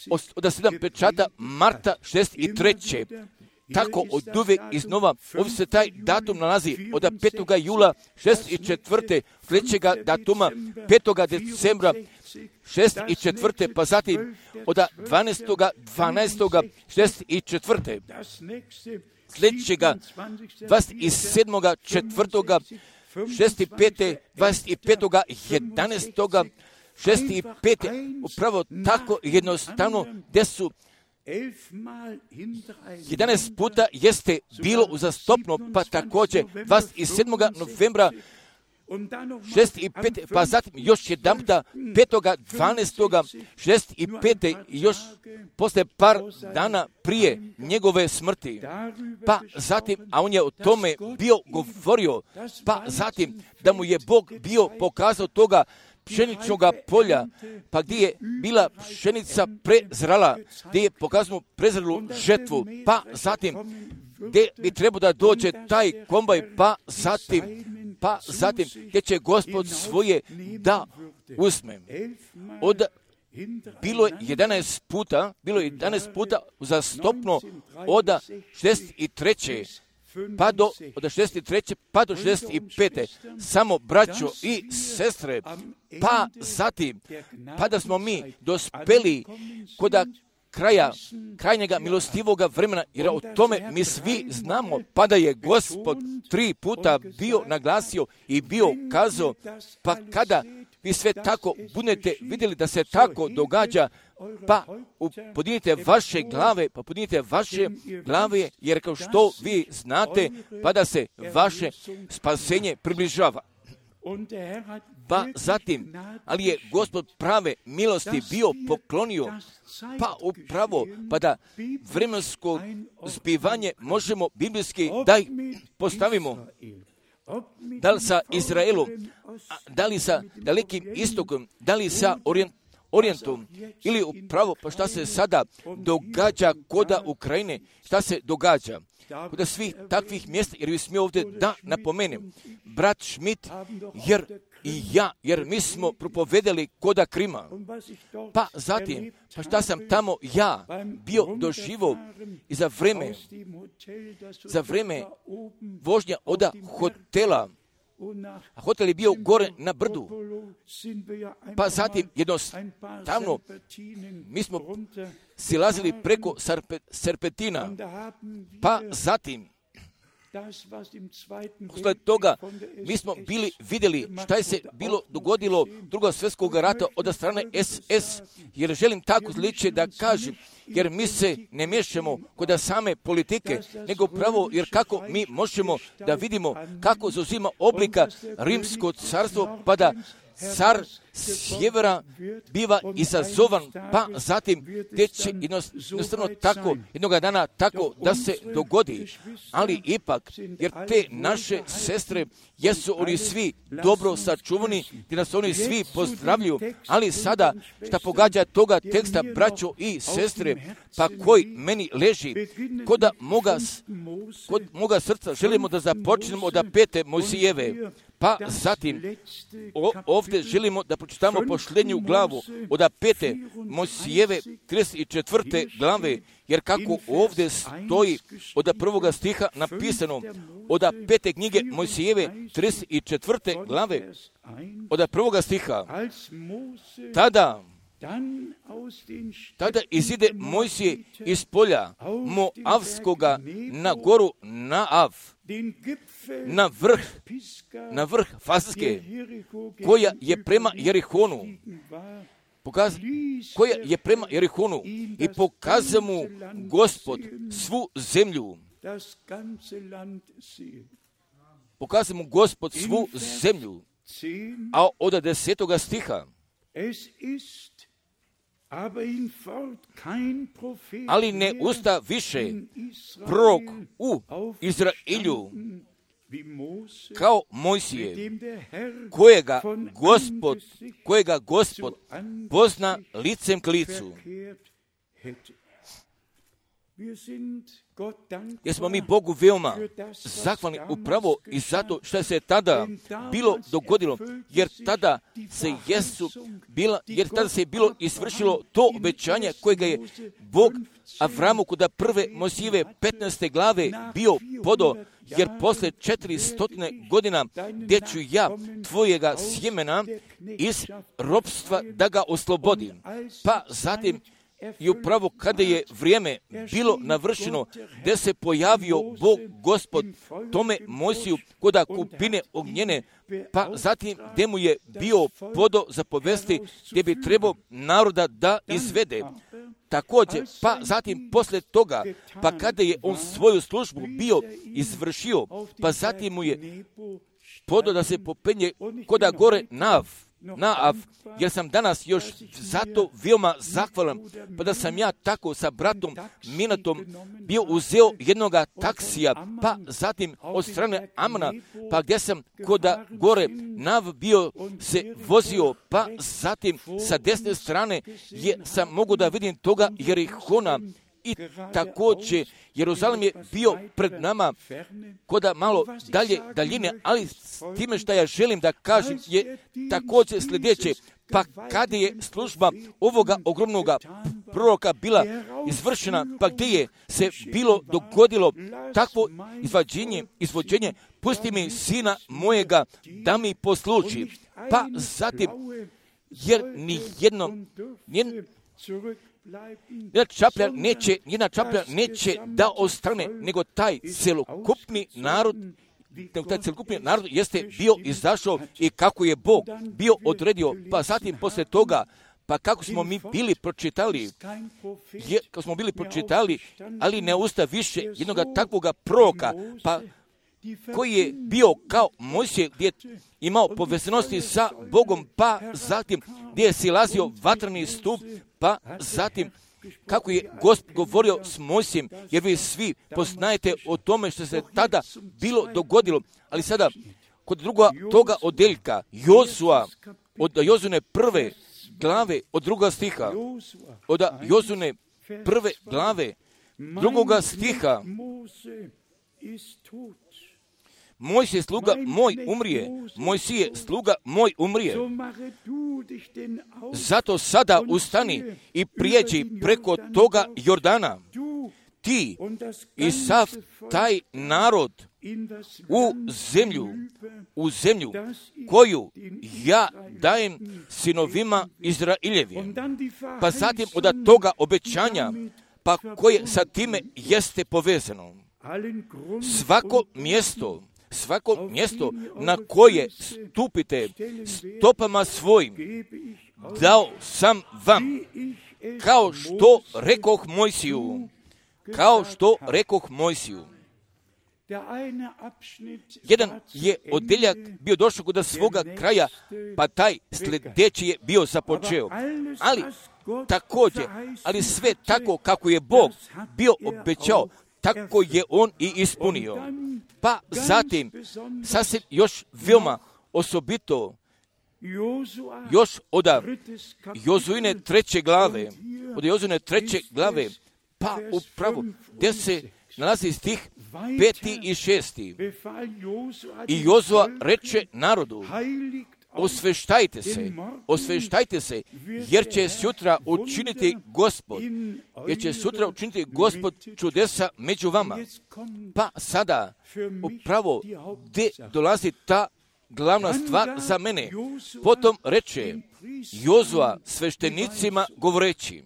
od 7 pečata marta 63. Tako od uvijek iznova, ovdje se taj datum nalazi od 5. jula 64. sljedećega datuma 5. decembra 64. pa zatim od 12.12.64. sljedećega 27.4. 65. 25.11. 65. upravo tako jednostavno gdje su 11 puta jeste bilo uzastopno, pa također 27. novembra 65. pa zatim još jedan puta 5.12. 65. još posle par dana prije njegove smrti. Pa zatim, a on je o tome bio govorio, pa zatim da mu je Bog bio pokazao toga pšeničnog polja, pa gdje je bila pšenica prezrala, gdje je pokazano prezralu žetvu, pa zatim gdje bi trebao da dođe taj kombaj, pa zatim gdje će Gospod svoje da uzme. Bilo je 11 puta uzastopno od 63. pa do 63. pa do 65. samo braćo i sestre, pa zatim, pa da smo mi dospeli kod krajnjega milostivoga vremena, jer o tome mi svi znamo, pa da je Gospod 3 puta bio naglasio i bio kazao, pa kada vi sve tako budete vidjeli da se tako događa, pa podignite vaše glave, jer kao što vi znate, pa da se vaše spasenje približava. Pa zatim, ali je Gospod prave milosti bio poklonio, pa upravo, pa da vremensko zbivanje možemo biblijski da postavimo. Da li sa Izraelom, da li sa Dalekim istokom, da li sa Orijentom, ili upravo pa šta se sada događa koda Ukrajine, šta se događa koda svih takvih mjesta, jer vi smije ovdje da napomenem, brat Schmidt, jer mi smo propovedali koda Krima, pa zatim, pa šta sam tamo ja bio doživo i za vreme vožnja od hotela, a hotel je bio gore na brdu, pa zatim jednostavno mi smo silazili preko serpentina, pa zatim posle toga mi smo vidjeli šta je se bilo dogodilo drugog svjetskog rata od strane SS, jer želim tako zliče da kažem, jer mi se ne miješamo kod same politike, nego pravo jer kako mi možemo da vidimo kako zauzima oblika rimsko carstvo, pa da car sjevera biva izazovan, pa zatim gdje će jednostavno tako, jednoga dana tako da se dogodi. Ali ipak, jer te naše sestre, jesu oni svi dobro sačuvani, gdje nas oni svi pozdravljuju, ali sada šta pogađa toga teksta, braćo i sestre, pa koji meni leži, kod moga srca želimo da započnemo od 5. Mojsijeve, pa zatim ovdje želimo da pročitamo posljednju glavu od 5. Mojsijeve 34. glave, jer kako ovdje stoji od 1. stiha napisano od 5. knjige Mojsijeve 34. glave od 1. stiha, tada izide Mojsije iz polja Moavskoga na goru Naav, na vrh Faske, koja je prema Jerihonu, i pokaza mu Gospod svu zemlju. pokazao mu Gospod svu zemlju. A od 10. stiha, ali ne usta više prorok u Izrailju kao Mojsije, kojega Gospod pozna licem k licu. Jer smo mi Bogu veoma zahvalni upravo i zato što se tada bilo dogodilo, jer tada se bilo isvršilo to obećanje kojega je Bog Avramu kod prve Mojsijeve 15. glave bio podo, jer posle 400 godina gdje ću ja tvojega sjemena iz ropstva da ga oslobodim. Pa zatim i upravo kada je vrijeme bilo navršeno, gdje se pojavio Bog Gospod tome Mojsiju koda kupine ognjene, pa zatim gdje mu je bio podo zapovesti gdje bi trebao naroda da izvede. Također, pa zatim posle toga, pa kada je on svoju službu bio izvršio, pa zatim mu je podo da se popenje koda gore Naav, jer sam danas još zato veoma zahvalan, pa da sam ja tako sa bratom Minatom bio uzeo jednoga taksija, pa zatim od strane Amana, pa gdje sam koda gore Naav bio se vozio, pa zatim sa desne strane sam mogu da vidim toga Jerihona. I također Jeruzalem je bio pred nama koda malo daljine, ali s time što ja želim da kažem je također sljedeće. Pa kada je služba ovoga ogromnoga proroka bila izvršena, pa gdje je se bilo dogodilo takvo izvođenje, pusti mi sina mojega da mi posluži. Pa zatim, jer jedna čaplja neće da ostane, nego taj celokupni narod jeste bio izašao i kako je Bog bio odredio, pa zatim posle toga, pa kako smo mi bili pročitali, ali ne usta više jednoga takvoga proroka, pa koji je bio kao Mojsije, gdje je imao povezanosti sa Bogom, pa zatim gdje je silazio vatreni stup, pa zatim kako je Gospod govorio s Mojsijem, jer vi svi poznajete o tome što se tada bilo dogodilo. Ali sada, kod druga toga odeljka, Jozua, od Jozune prve glave, od druga stiha, od Jozune prve glave, drugoga stiha, Mojsije sluga moj umrije, Mojsije sluga moj umrije. Zato sada ustani i prijeđi preko toga Jordana, ti i sav taj narod u zemlju koju ja dajem sinovima Izraeljevim. Pa zatim od toga obećanja, pa koje sa time jeste povezano. Svako mjesto na koje stupite stopama svojim, dao sam vam, kao što rekoh Mojsiju. Jedan je odeljak bio došao kod svoga kraja, pa taj sljedeći je bio započeo. Ali također, sve tako kako je Bog bio obećao, tako je on i ispunio. Pa zatim, sasvim još veoma osobito, još od Jozuine 3. glave, pa upravo gdje se nalazi stih 5. i 6. I Jozua reče narodu, osveštajte se, jer će sutra učiniti Gospod čudesa među vama. Pa sada, upravo gdje dolazi ta glavna stvar za mene. Potom reče Jozua sveštenicima govoreći,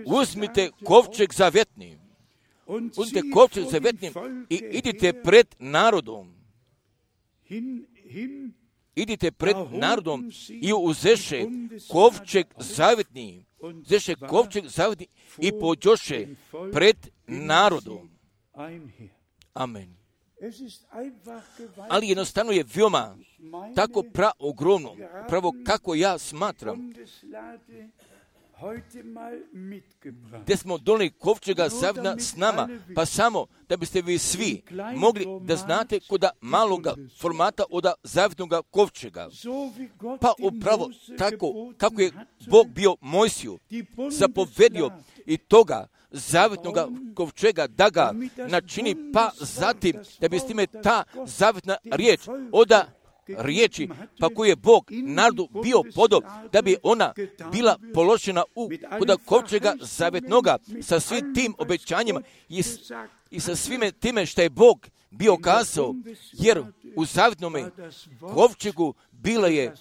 uzmite kovčeg zavetni, i idite pred narodom. I uzeše kovčeg zavetni i pođoše pred narodom. Amen. Ali jednostavno je veoma tako ogromno, pravo kako ja smatram, gdje smo donijeli kovčega zavjeta s nama, pa samo da biste vi svi mogli da znate koda maloga formata od zavjetnog kovčega. Pa upravo tako kako je Bog bio Mojsiju zapovedio i toga zavjetnog kovčega da ga načini, pa zatim da bi s time ta zavjetna riječ oda riječi, pa koju je Bog narodu bio podao, da bi ona bila položena kod kovčega zavjetnoga sa svim tim obećanjima i sa svime time što je Bog bio kazao, jer u zavjetnome kovčegu bila je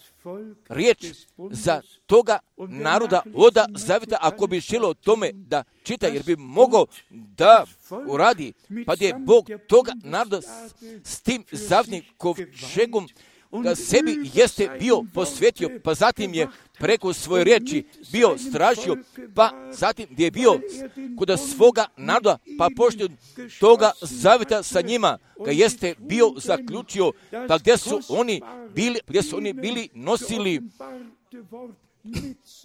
riječ za toga naroda oda zavjeta, ako bi želio o tome da čita, jer bi mogao da uradi, pa je Bog toga naroda s tim zavjetnim kovčegom da sebi jeste bio posvetio, pa zatim je preko svoje riječi bio stražio, pa zatim gdje je bio kod svoga naroda, pa pošto toga zavjeta sa njima ga jeste bio zaključio, pa gdje su oni bili nosili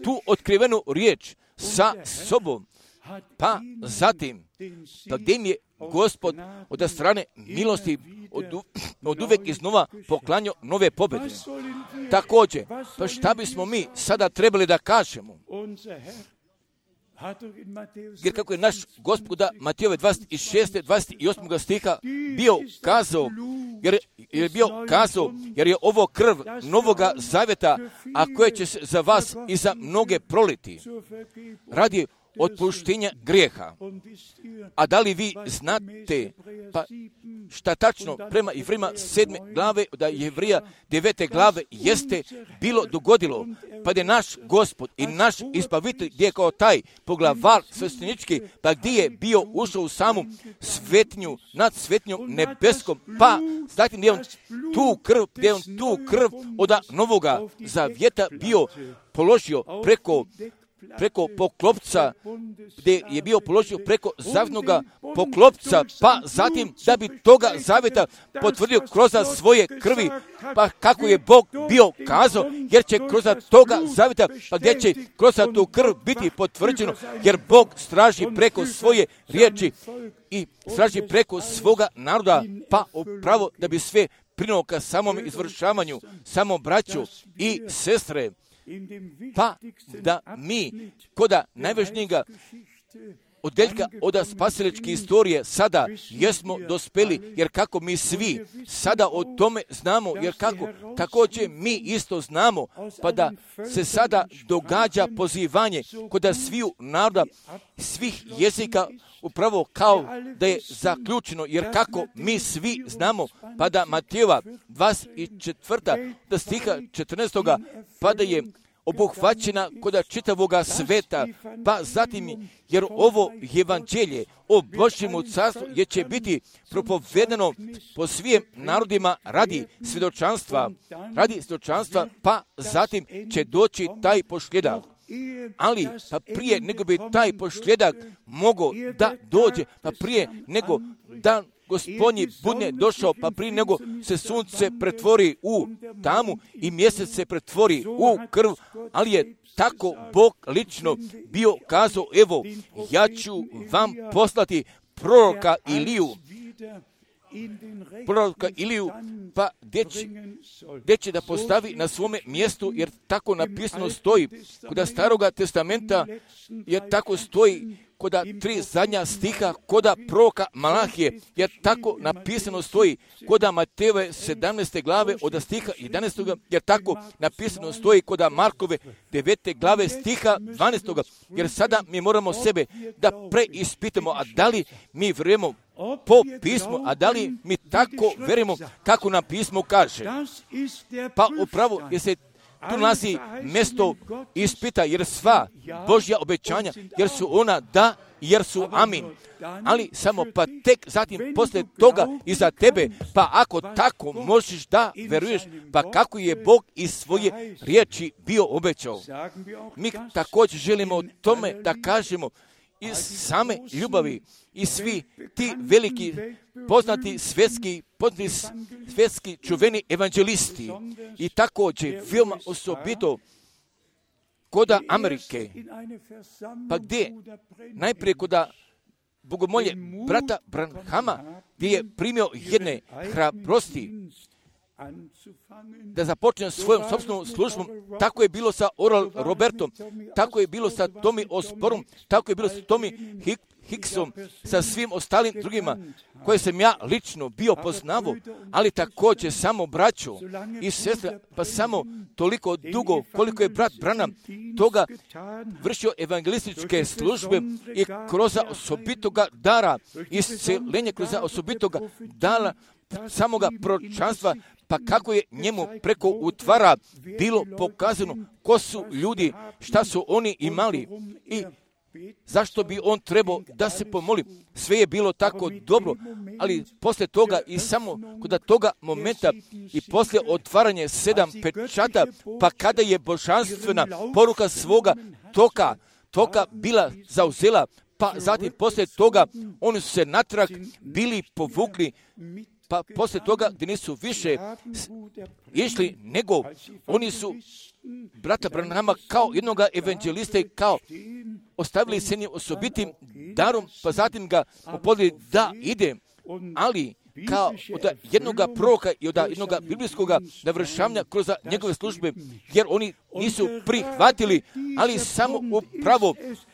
tu otkrivenu riječ sa sobom, pa zatim pa gdje im je Gospod od strane milosti od uvek iznova poklanjao nove pobjede. Također, pa šta bismo mi sada trebali da kažemo? Jer kako je naš Gospoda Matejove 26. 28. stiha bio kazao, jer je ovo krv novoga zavjeta, a koje će se za vas i za mnoge proliti radi otpuštenja grijeha. A da li vi znate, pa šta tačno prema Jevrejima 7. glave, da Jevrija 9. glave jeste bilo dogodilo, pa je naš Gospod i naš ispavitelj, gdje je kao taj poglavar sveštenički, pa gdje je bio ušao u samu svetnju, nad svetnjom nebeskom, pa zatim gdje je on tu krv od novoga zavjeta bio položio preko poklopca, gdje je bio položio preko zavjetnoga poklopca, pa zatim da bi toga zavjeta potvrdio kroz svoje krvi, pa kako je Bog bio kazao, jer će kroz toga zavjeta, pa gdje će kroz tu krv biti potvrđeno, jer Bog straži preko svoje riječi i straži preko svoga naroda, pa upravo da bi sve prinulo ka samom izvršavanju, samo braću i sestre, pa da mi koda najvažnijega odeljka od spasiličke istorije sada jesmo dospeli, jer kako mi svi sada o tome znamo, jer kako također mi isto znamo, pa da se sada događa pozivanje kod sviju naroda, svih jezika, upravo kao da je zaključeno, jer kako mi svi znamo, pa da Matejova 24. stiha 14. pa da je obuhvaćena kod čitavoga sveta, pa zatim, jer ovo evanđelje o Božjemu carstvu je će biti propovedano po svim narodima radi svjedočanstva, pa zatim će doći taj posljedak. Ali, pa prije nego bi taj posljedak mogao da dođe, pa prije nego da Gospodnji budne došao, pa prije nego se sunce pretvori u tamu i mjesec se pretvori u krv, ali je tako Bog lično bio kazao, evo, ja ću vam poslati proroka Iliju, pa gdje će da postavi na svome mjestu, jer tako napisano stoji kod Staroga testamenta, jer tako stoji kod 3 zadnja stiha koda proroka Malahije, jer tako napisano stoji koda Matejove 17. glave od stiha 11. jer tako napisano stoji koda Markove 9. glave stiha 12. jer sada mi moramo sebe da preispitamo, a da li mi vjerujemo po pismu, a da li mi tako verujemo kako nam pismo kaže. Pa upravo jer se tu nalazi mjesto ispita, jer sva Božja obećanja, jer su ona da, jer su amin. Ali samo pa tek zatim poslije toga i za tebe, pa ako tako možeš da veruješ, pa kako je Bog iz svoje riječi bio obećao. Mi također želimo o tome da kažemo, iz same ljubavi i svi ti veliki poznati svjetski čuveni evanđelisti i također veoma osobito koda Amerike, pa gdje najprije koda bogomolje brata Branhama, gdje je primio jedne hrabrosti da započne svojom sopstvenom službom. Tako je bilo sa Oral Robertom, tako je bilo sa Tommy Osbornom, tako je bilo sa Tommy Hicksom, sa svim ostalim drugima koje sam ja lično bio poznavao, ali također samo braćo i sestre, pa samo toliko dugo koliko je brat Branham toga vršio evangelističke službe i kroz osobitoga dara, isceljenje kroz osobitoga dara, samoga proročanstva, pa kako je njemu preko utvara bilo pokazano ko su ljudi, šta su oni imali i zašto bi on trebao da se pomoli. Sve je bilo tako dobro, ali poslije toga i samo kod toga momenta i poslije otvaranje 7 pečata, pa kada je božanstvena poruka svoga toka bila zauzela, pa zatim poslije toga oni su se natrag bili povukli, pa poslije toga gdje nisu više išli, nego oni su brata Branhama kao jednog evanđelista i kao ostavili se njim osobitim darom, pa zatim ga upodili da ide, ali kao od jednog proroka i od jednog biblijskog navršavanja kroz njegove službe, jer oni nisu prihvatili, ali samo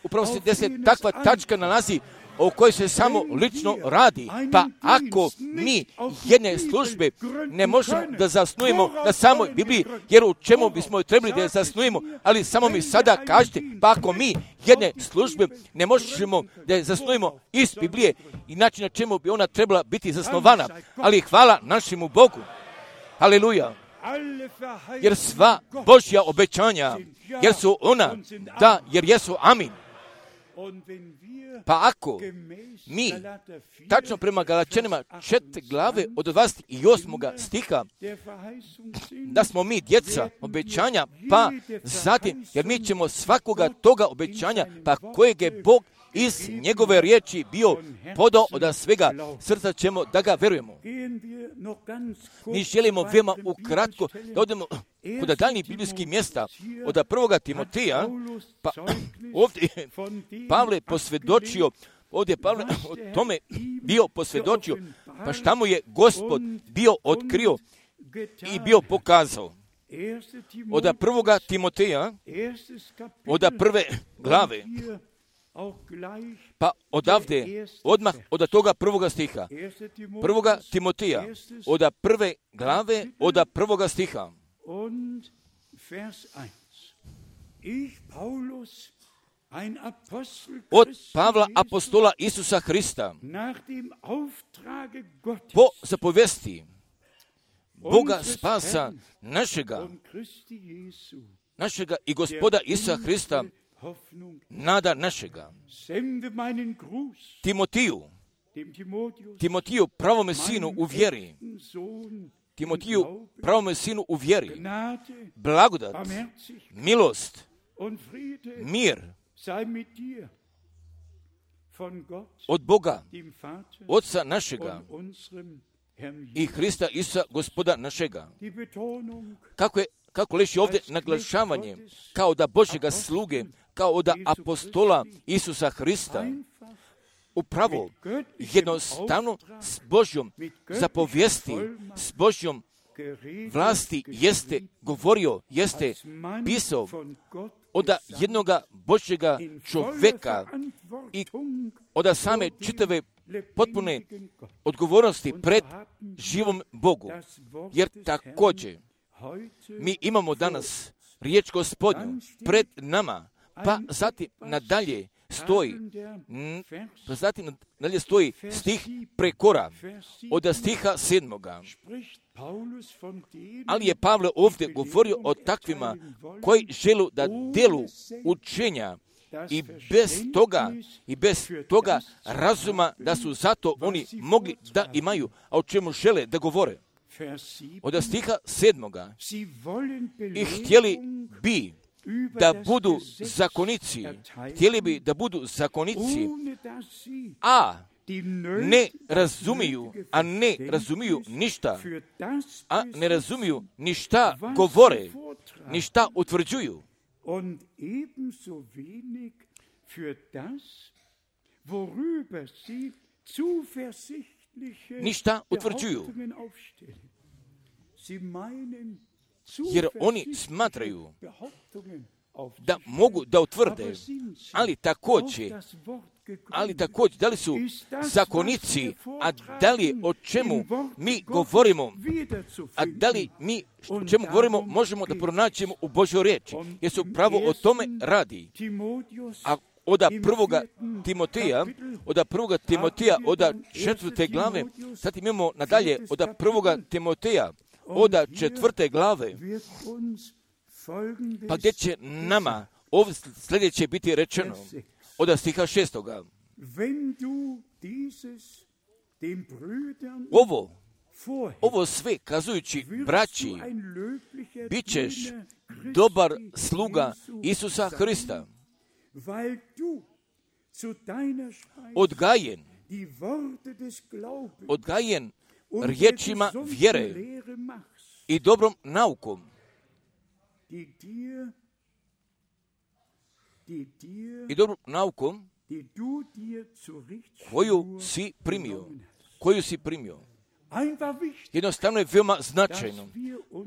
upravo se gdje se takva tačka nalazi o kojoj se samo lično radi. Pa ako mi jedne službe ne možemo da zasnujemo na samoj Bibliji, jer u čemu bismo trebali da je zasnujemo, ali samo mi sada kažete, pa ako mi jedne službe ne možemo da je zasnujemo iz Biblije, inače na čemu bi ona trebala biti zasnovana, ali hvala našemu Bogu. Haleluja. Jer sva Božja obećanja, jer su ona, da, jer jesu amin. Pa ako mi, tačno prema Galačanima 4 glave od 28. stiha, da smo mi djeca obećanja, pa zatim, jer mi ćemo svakoga toga obećanja, pa kojeg je Bog iz njegove riječi bio podao od svega srca ćemo da ga verujemo. Mi želimo veoma ukratko da odemo kod daljnjih biblijskih mjesta od 1. Timoteja, pa ovdje Pavle posvjedočio, ovdje Pavle o tome bio posvjedočio, pa šta mu je Gospod bio otkrio i bio pokazao. Od 1. Timoteja, od 1. glave, pa odavde, odmah od toga 1. stiha, 1. Timoteja, od 1. glave, od 1. stiha. Od Pavla apostola Isusa Hrista, po zapovesti Boga spasa našega i Gospoda Isusa Hrista, nada našega. Timotiju, pravome sinu u vjeri. Timotiju, pravome sinu u vjeri. Blagodat, milost, mir od Boga, Otca našega i Hrista Isusa, Gospoda našega. Kako leži ovdje naglašavanje, kao da Božjega sluge, kao da apostola Isusa Hrista, upravo jednostavno s Božjom zapovijesti, s Božjom vlasti jeste govorio, jeste pisao od jednoga Božjega čovjeka i od same čitave potpune odgovornosti pred živom Bogu. Jer također mi imamo danas riječ Gospodnju pred nama, pa zatim nadalje stoji stih prekora od stiha 7. Ali je Pavle ovdje govorio o takvima koji želu da delu učenja i bez toga razuma da su zato oni mogli da imaju, a o čemu žele da govore. Od stiha 7. I htjeli bi da budu zakonici, htjeli bi da budu zakonici, a ne razumiju ni šta govore, ni šta utvrđuju. Ništa utvrđuju. Jer oni smatraju da mogu da utvrde, ali također da li su zakonici, a da li o čemu mi govorimo, a da li mi o čemu govorimo možemo da pronaćemo u Božjoj riječi, jer se upravo o tome radi. A od prvoga Timoteja, od 4. glave, zatim imamo nadalje od 1. Timoteja, od 4. glave, pa gdje će nama ovdje sljedeće biti rečeno, od stiha 6. Ovo sve kazujući braći, bit ćeš dobar sluga Isusa Hrista, odgajen riječima vjere i dobrom naukom, koju si primio. Jednostavno je veoma značajno.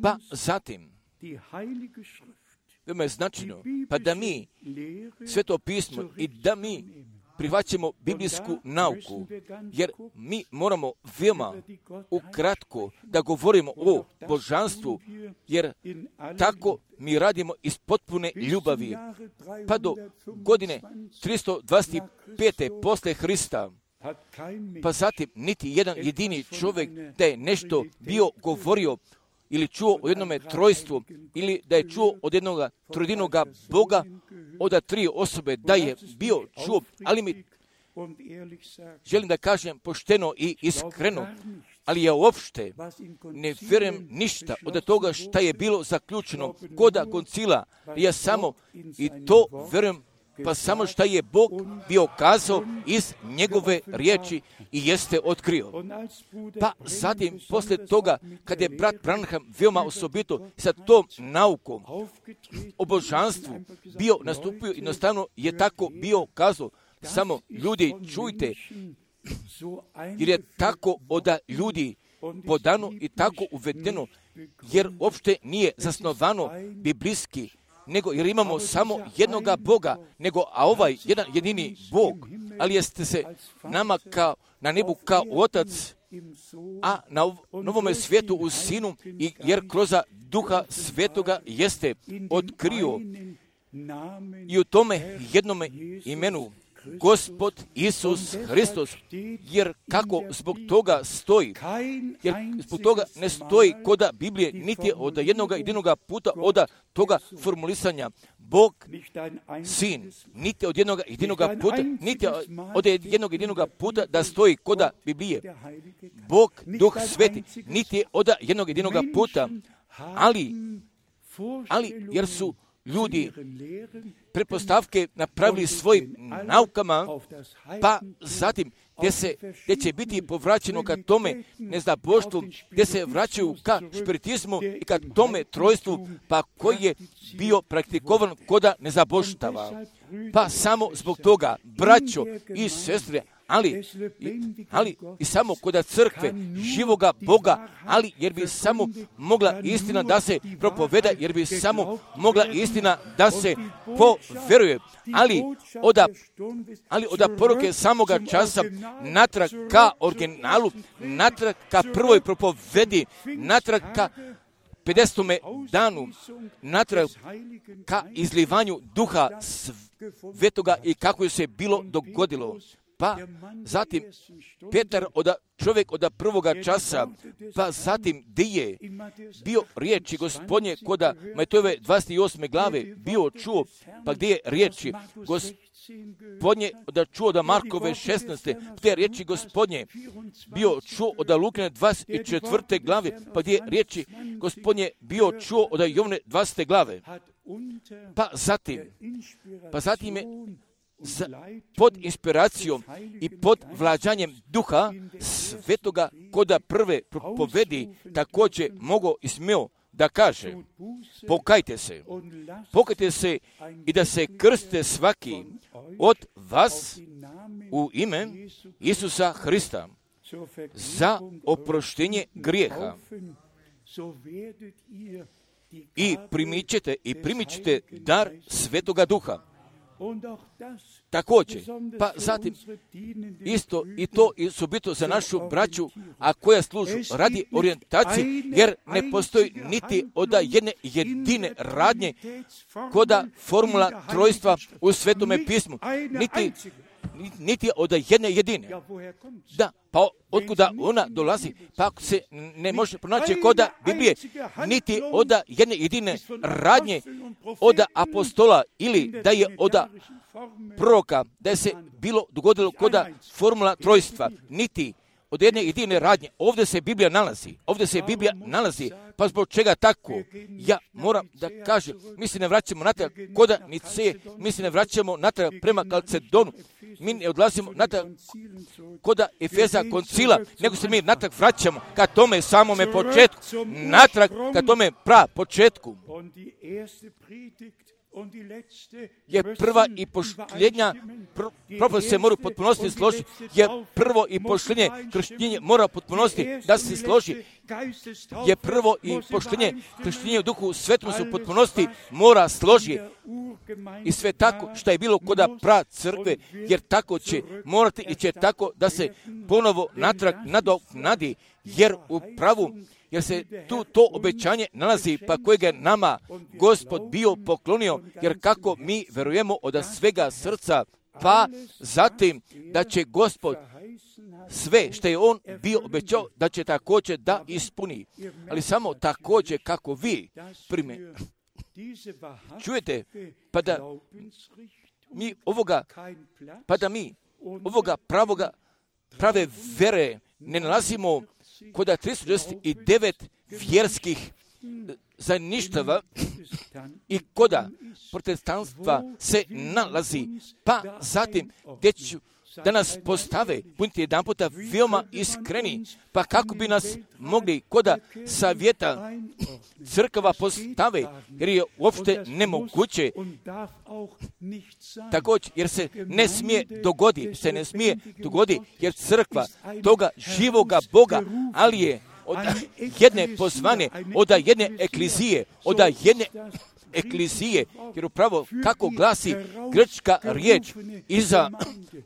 Pa zatim, veoma je značajno, pa da mi Sveto pismo i da mi prihvaćamo biblijsku nauku, jer mi moramo veoma ukratko da govorimo o božanstvu, jer tako mi radimo iz potpune ljubavi. Pa do godine 325. posle Hrista, pa zatim niti jedan jedini čovjek da je nešto bio govorio ili čuo o jednome trojstvu, ili da je čuo od jednog trojedinoga Boga, od 3 osobe da je bio čuo, ali mi želim da kažem pošteno i iskreno, ali ja uopšte ne vjerujem ništa od toga šta je bilo zaključeno kod koncila. Ja samo i to vjerujem, pa samo šta je Bog bio kazao iz njegove riječi i jeste otkrio. Pa zatim, poslije toga, kad je brat Branham veoma osobito sa tom naukom o božanstvu bio nastupio, jednostavno je tako bio kazao, samo ljudi čujte, jer je tako od ljudi podano i tako uvedeno, jer uopšte nije zasnovano biblijski, nego jer imamo samo jednoga Boga, a ovaj jedan jedini Bog, ali jeste se nama na nebu kao Otac, a na novome svijetu u Sinu, jer kroz Duha Svetoga jeste otkrio i u tome jednome imenu Gospod Isus Hristos, jer kako zbog toga stoji, jer zbog toga ne stoji kod Biblije, niti od jedinoga puta od toga formulisanja Bog, Sin, niti od jedinoga puta, niti od jedinoga puta da stoji kod Biblije Bog, Duh Sveti, niti od jedinoga puta, ali jer su ljudi pretpostavke napravili svojim naukama, pa zatim gdje će biti povraćeno ka tome neznaboštvu, gdje se vraćaju ka špiritizmu i ka tome trojstvu, pa koji je bio praktikovan kod neznaboštava. Pa samo zbog toga, braćo i sestre, ali i samo kod crkve živoga Boga, ali jer bi samo mogla istina da se propoveda, jer bi samo mogla istina da se poveruje, ali od poruke samoga časa natrag ka originalu, natrag ka prvoj propovedi, natrag ka 50. danu, natrag ka izlivanju Duha Svetoga i kako je se bilo dogodilo. Pa zatim Petar, čovjek od prvoga časa, pa zatim gdje je bio riječi Gospodnje kod Matejove 28. glave bio čuo, pa gdje je riječi Gospodnje čuo od Markove 16. gdje je riječi Gospodnje bio čuo od Lukine 24. glave, pa gdje je riječi Gospodnje bio čuo od Jovne 20. glave. Pa zatim je pod inspiracijom i pod vlađanjem Duha Svetoga koda prve propovedi također mogao i smio da kaže: pokajte se i da se krstite svaki od vas u ime Isusa Hrista za oproštenje grijeha i primit ćete dar Svetoga Duha. Također, pa zatim isto i to i osobito za našu braću, a koja služu radi orijentacije, jer ne postoji niti od jedne jedine radnje koda formula trojstva u Svetome pismu, niti od jedne jedine. Da, pa otkuda ona dolazi, pa ako se ne može pronaći koda Biblije, niti od jedne jedine radnje od apostola ili da je od proroka, da je se bilo dogodilo koda formula trojstva, niti od jedne jedine radnje. Ovdje se Biblija nalazi, pa zbog čega tako? Ja moram da kažem, mi se ne vraćamo natrag koda Niceje, mi se ne vraćamo natrag prema Kalcedonu, mi ne odlazimo natrag koda Efeza koncila, nego se mi natrag vraćamo ka tome samome početku, natrag ka tome početku. Jer prva i posljednja propovijed se mora potpunosti složiti, jer prvo i posljednje krštenje mora potpunosti da se složi, jer prvo i posljednje krštenje u Duhu Svetom su potpunosti mora složiti i sve tako što je bilo koda pra crkve, jer tako će morati i će tako da se ponovo natrag nadoknadi, jer u pravu, jer se tu to obećanje nalazi, pa kojeg je nama Gospod bio poklonio, jer kako mi verujemo od svega srca, pa zatim da će Gospod sve što je On bio obećao, da će također da ispuni. Ali samo također kako vi čujete, pa da mi ovoga prave vere ne nalazimo kod 369 vjerskih zajedništava i koda protestanstva se nalazi, pa zatim gdje ću da nas postave, budite jedan puta veoma iskreni, pa kako bi nas mogli koda savjeta crkava postave, jer je uopšte nemoguće također, jer se ne smije dogoditi, jer crkva toga živoga Boga, ali je od jedne pozvane, od jedne eklizije, jer upravo kako glasi grčka riječ iza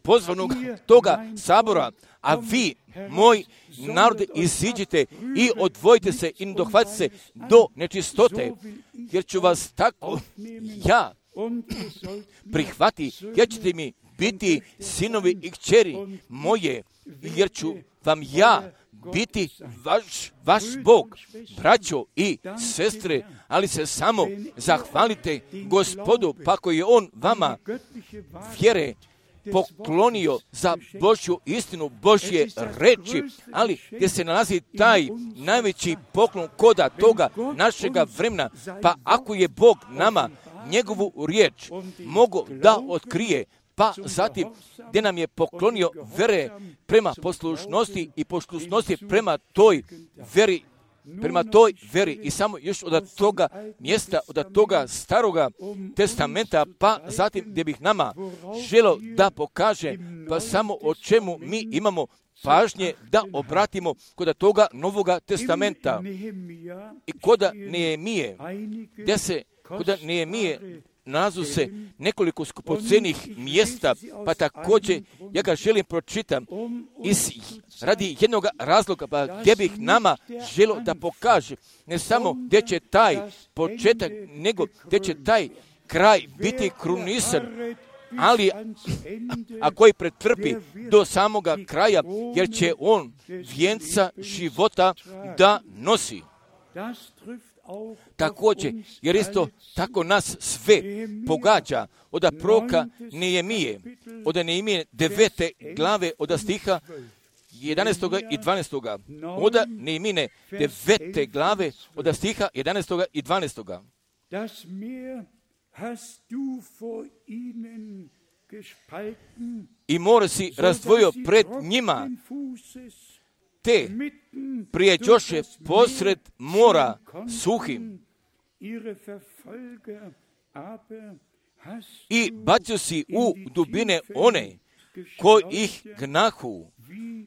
pozvanog toga sabora, a vi, moj narod, iziđite i odvojite se i dohvatite se do nečistote, jer ću vas tako ja prihvati, jer ćete mi biti sinovi i kćeri moje, jer ću vam ja biti vaš Bog, braćo i sestre, ali se samo zahvalite Gospodu, pa koji je On vama vjere poklonio za Božju istinu, Božje reči, ali gdje se nalazi taj najveći poklon koda toga našega vremena, pa ako je Bog nama njegovu riječ mogo da otkrije, pa zatim gdje nam je poklonio vere prema poslušnosti i poslušnosti prema toj veri i samo još od toga mjesta, od toga staroga testamenta, pa zatim gdje bih nama želio da pokaže, pa samo o čemu mi imamo pažnje da obratimo kod toga Novoga testamenta i kod Nehemije, gdje se kod Nehemije nalazu se nekoliko skupocenih mjesta, pa također ja ga želim pročitam radi jednog razloga, pa gdje bih nama želio da pokaže ne samo gdje će taj početak, nego gdje će taj kraj biti krunisan, ali a koji pretrpi do samoga kraja, jer će on vijenca života da nosi. Također, jer isto tako nas sve pogađa od proroka Nehemije, od Nehemije 9. glave od stiha 11. i 12. Od Nehemije 9. glave od stiha 11. i 12. I more si razdvojio pred njima, te prijeđoše posred mora suhim i bacio si u dubine one koji ih gnahu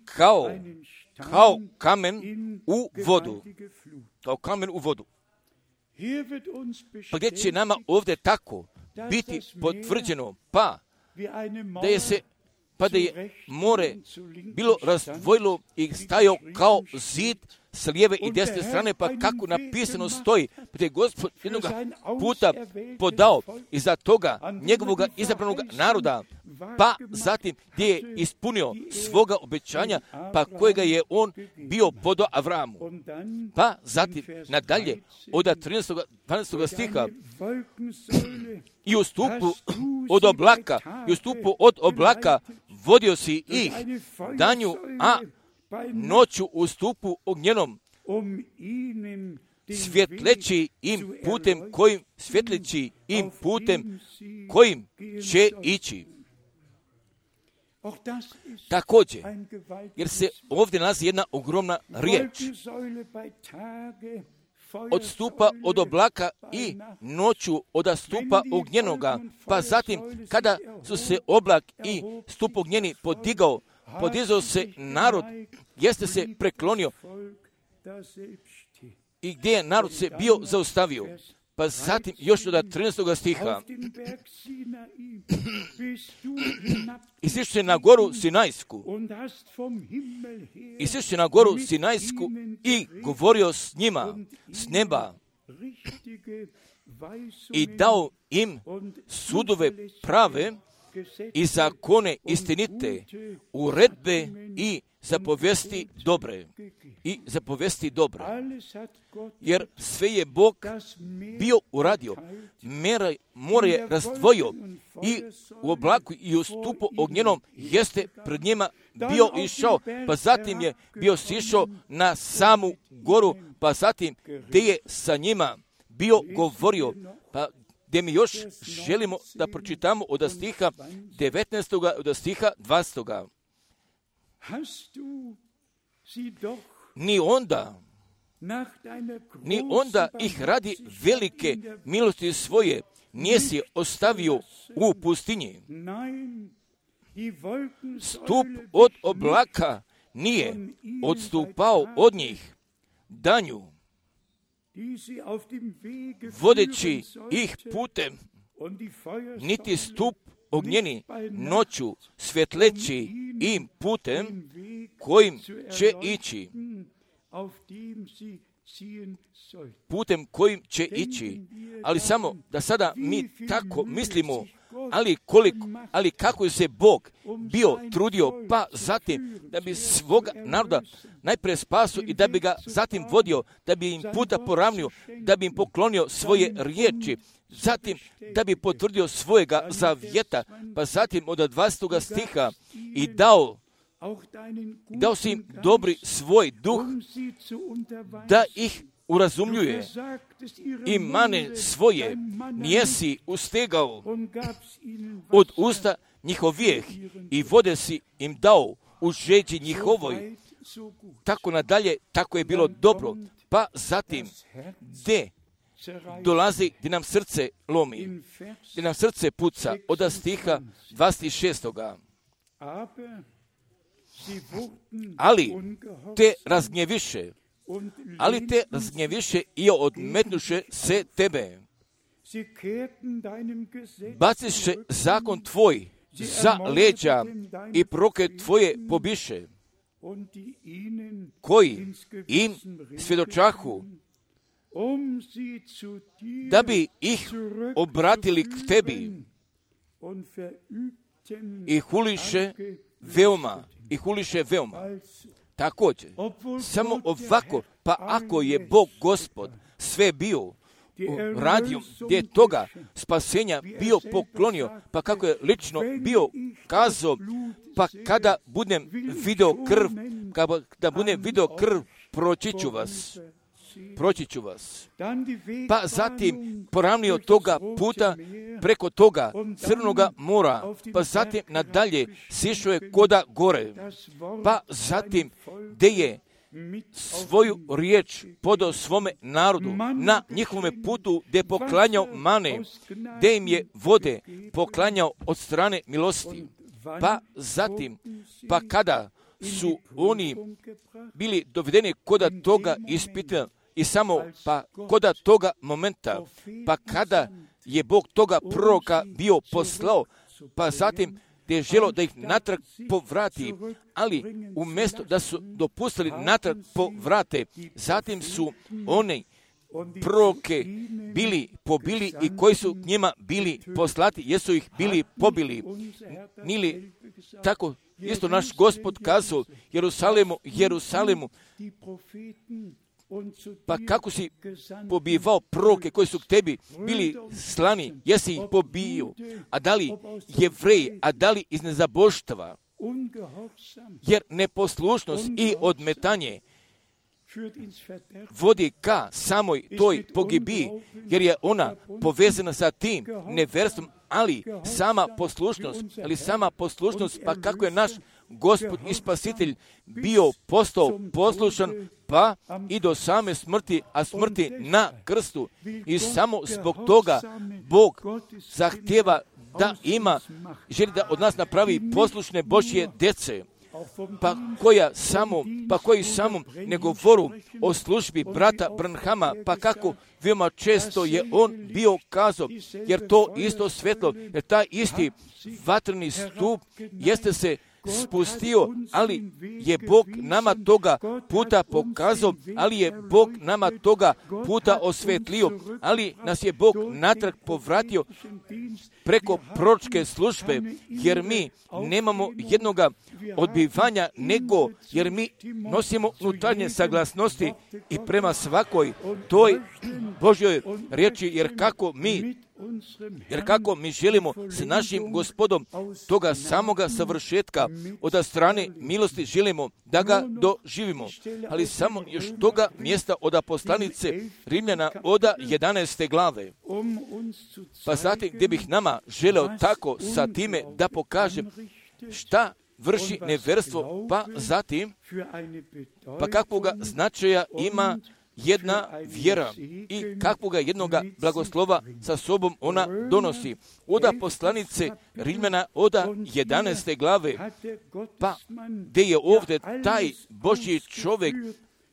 kao kamen u vodu. Kao kamen u vodu. Pa gdje će nama ovdje tako biti potvrđeno, pa da je more bilo razdvojilo i stajao kao zid s lijeve i desne strane, pa kako napisano stoji, da je Gospod jednog puta podao iza toga njegovog izabranog naroda, pa zatim gdje je ispunio svoga obećanja, pa kojega je on bio podao Avramu. Pa zatim nadalje od 12. stiha i u stupu od oblaka vodio si ih danju, a noću u stupu ognjenom svjetleći im putem kojim će ići. Također, jer se ovdje nalazi jedna ogromna riječ. Od stupa od oblaka i noću od stupa ognjenoga, pa zatim kada su se oblak i stup ognjeni podizao se narod, jeste se preklonio i gdje je narod se bio zaustavio. Pa zatim još od 13. stiha i sišće na goru Sinajsku i govorio s njima s neba i dao im sudove prave i zakone istinite, uredbe i zapovesti dobre. Jer sve je Bog bio uradio. More je razdvojio i u oblaku i u stupu ognjenom jeste pred njima bio išao, pa zatim je bio sišao na samu goru, pa zatim gdje je sa njima bio govorio. Pa gdje mi još želimo da pročitamo od stiha 19. od stiha 20. Ni onda ih radi velike milosti svoje nisi ostavio u pustinji. Stup od oblaka nije odstupao od njih danju, vodeći ih putem, niti stup ognjeni noću svjetleći im putem kojim će ići. Ali samo da sada mi tako mislimo, ali kako je se Bog bio trudio, pa zatim da bi svoga naroda najprije spasio i da bi ga zatim vodio, da bi im puta poravnio, da bi im poklonio svoje riječi, zatim da bi potvrdio svojega zavjeta, pa zatim od 20. stiha i dao si im dobri svoj duh da ih urazumljuje i mane svoje nijesi ustegao od usta njihovijeh i vode si im dao u žeđi njihovoj. Tako nadalje, tako je bilo dobro. Pa zatim, gdje dolazi, gdje nam srce lomi, gdje nam srce puca, od stiha 26. Ali te razgnjeviše i odmetnuše se tebe. Baciše zakon tvoj za leđa i proklet tvoje pobiše, koji im svjedočahu, da bi ih obratili k tebi i huliše veoma. Također, samo ovako, pa ako je Bog Gospod sve bio radio, gdje je toga spasenja bio poklonio, pa kako je lično bio kazao, pa kada budem video krv, proći ću vas. proći ću vas. Pa zatim poravnio toga puta preko toga Crnoga mora, pa zatim nadalje sišao je koda gore, pa zatim gdje je svoju riječ podao svome narodu na njihovome putu gdje je poklanjao mane, gdje im je vode poklanjao od strane milosti. Pa zatim, pa kada su oni bili dovedeni koda toga ispita i samo pa koda toga momenta, pa kada je Bog toga proroka bio poslao, pa zatim gdje je želio da ih natrag povrati, ali umjesto da su dopustili natrag povrate, zatim su oni proroke bili pobili i koji su njima bili poslati, jesu ih bili pobili. Nili tako isto naš Gospod kazao Jerusalemu, pa kako si pobivao proroke koji su k tebi bili slani, jesi ih pobio, a da li Jevreji, a da li iz nezaboštva, jer neposlušnost i odmetanje vodi ka samoj toj pogibiji, jer je ona povezana sa tim neverstvom, ali sama poslušnost, pa kako je naš Gospod i Spasitelj bio postao poslušan, pa i do same smrti, a smrti na krstu. I samo zbog toga Bog zahtjeva da želi da od nas napravi poslušne Božje djece, koji samo ne govoru o službi brata Branhama, pa kako veoma često je on bio kazao, jer to isto svjetlo, jer taj isti vatreni stup jeste se spustio, ali je Bog nama toga puta pokazao, ali je Bog nama toga puta osvetlio, ali nas je Bog natrag povratio preko proročke službe, jer mi nemamo jednoga odbivanja, nego jer mi nosimo unutarnje saglasnosti i prema svakoj toj Božjoj riječi, jer kako mi želimo s našim Gospodom toga samoga savršetka od strane milosti želimo da ga doživimo. Ali samo još toga mjesta od poslanice Rimljana od 11. glave. Pa zatim gdje bih nama želeo tako sa time da pokažem šta vrši neverstvo, pa zatim pa kakvoga značaja ima jedna vjera i kakvoga jednoga blagoslova sa sobom ona donosi. Od poslanice Rimljana od 11. glave, pa gdje je ovdje taj Božji čovjek,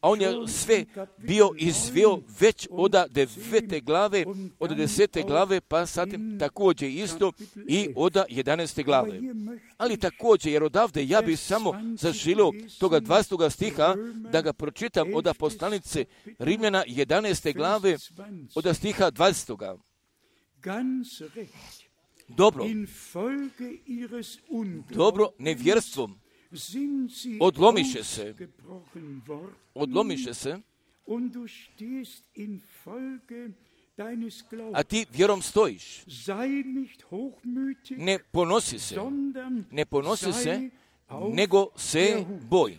a on je sve bio izveo već od 9. glave, od 10. glave, pa zatim također isto i od 11. glave. Ali također, jer odavde ja bih samo zaželio toga 20. stiha da ga pročitam od poslanice Rimljana 11. glave, od stiha 20. Dobro nevjerstvom odlomiše se, a ti vjerom stojiš. Ne ponosi se, nego se boj.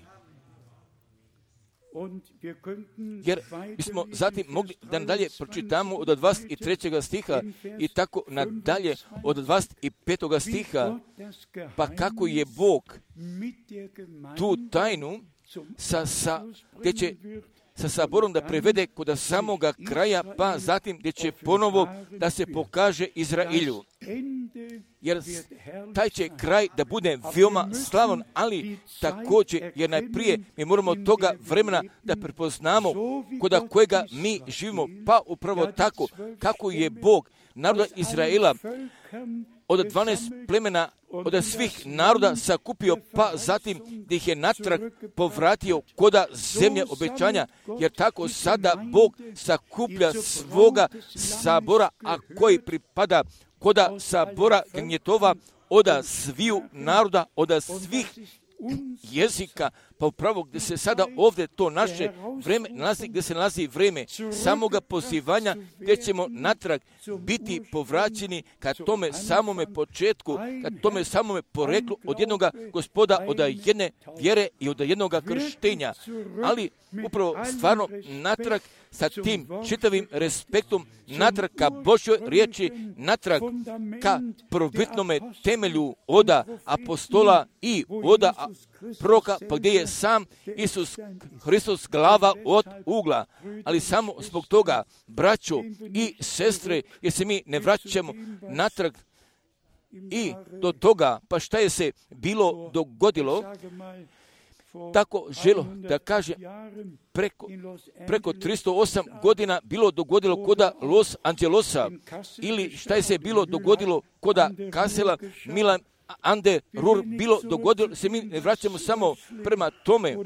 Jer bismo zatim mogli da nadalje pročitamo od 23. stiha i tako nadalje od 25. stiha, pa kako je Bog tu tajnu gdje će sa saborom da prevede kod samoga kraja, pa zatim gdje će ponovo da se pokaže Izraelju. Jer taj će kraj da bude veoma slavan, ali također, jer najprije mi moramo toga vremena da prepoznamo kod kojega mi živimo, pa upravo tako kako je Bog naroda Izraela od 12 plemena, od svih naroda sakupio, pa zatim da ih je natrag povratio koda zemlje obećanja, jer tako sada Bog sakuplja svoga sabora, a koji pripada koda sabora gnjetova od sviju naroda, od svih jezika, Pa upravo gdje se sada ovdje to naše vrijeme nalazi, gdje se nalazi vrijeme samoga pozivanja, gdje ćemo natrag biti povraćeni ka tome samome početku, ka tome samome poreklu od jednoga Gospoda, od jedne vjere i od jednoga krštenja. Ali upravo stvarno natrag sa tim čitavim respektom, natrag ka Božjoj riječi, natrag ka prvobitnome temelju oda apostola i oda proroka, pa gdje je sam Isus Hristos glava od ugla. Ali samo zbog toga, braćo i sestre, jer se mi ne vraćamo natrag i do toga, pa šta je se bilo dogodilo, tako želo da kaže preko 308 godina bilo dogodilo koda Los Angelosa, ili šta je se bilo dogodilo koda Kassela, Milan Ande Ruhr, bilo dogodilo, se mi ne vraćamo samo prema tome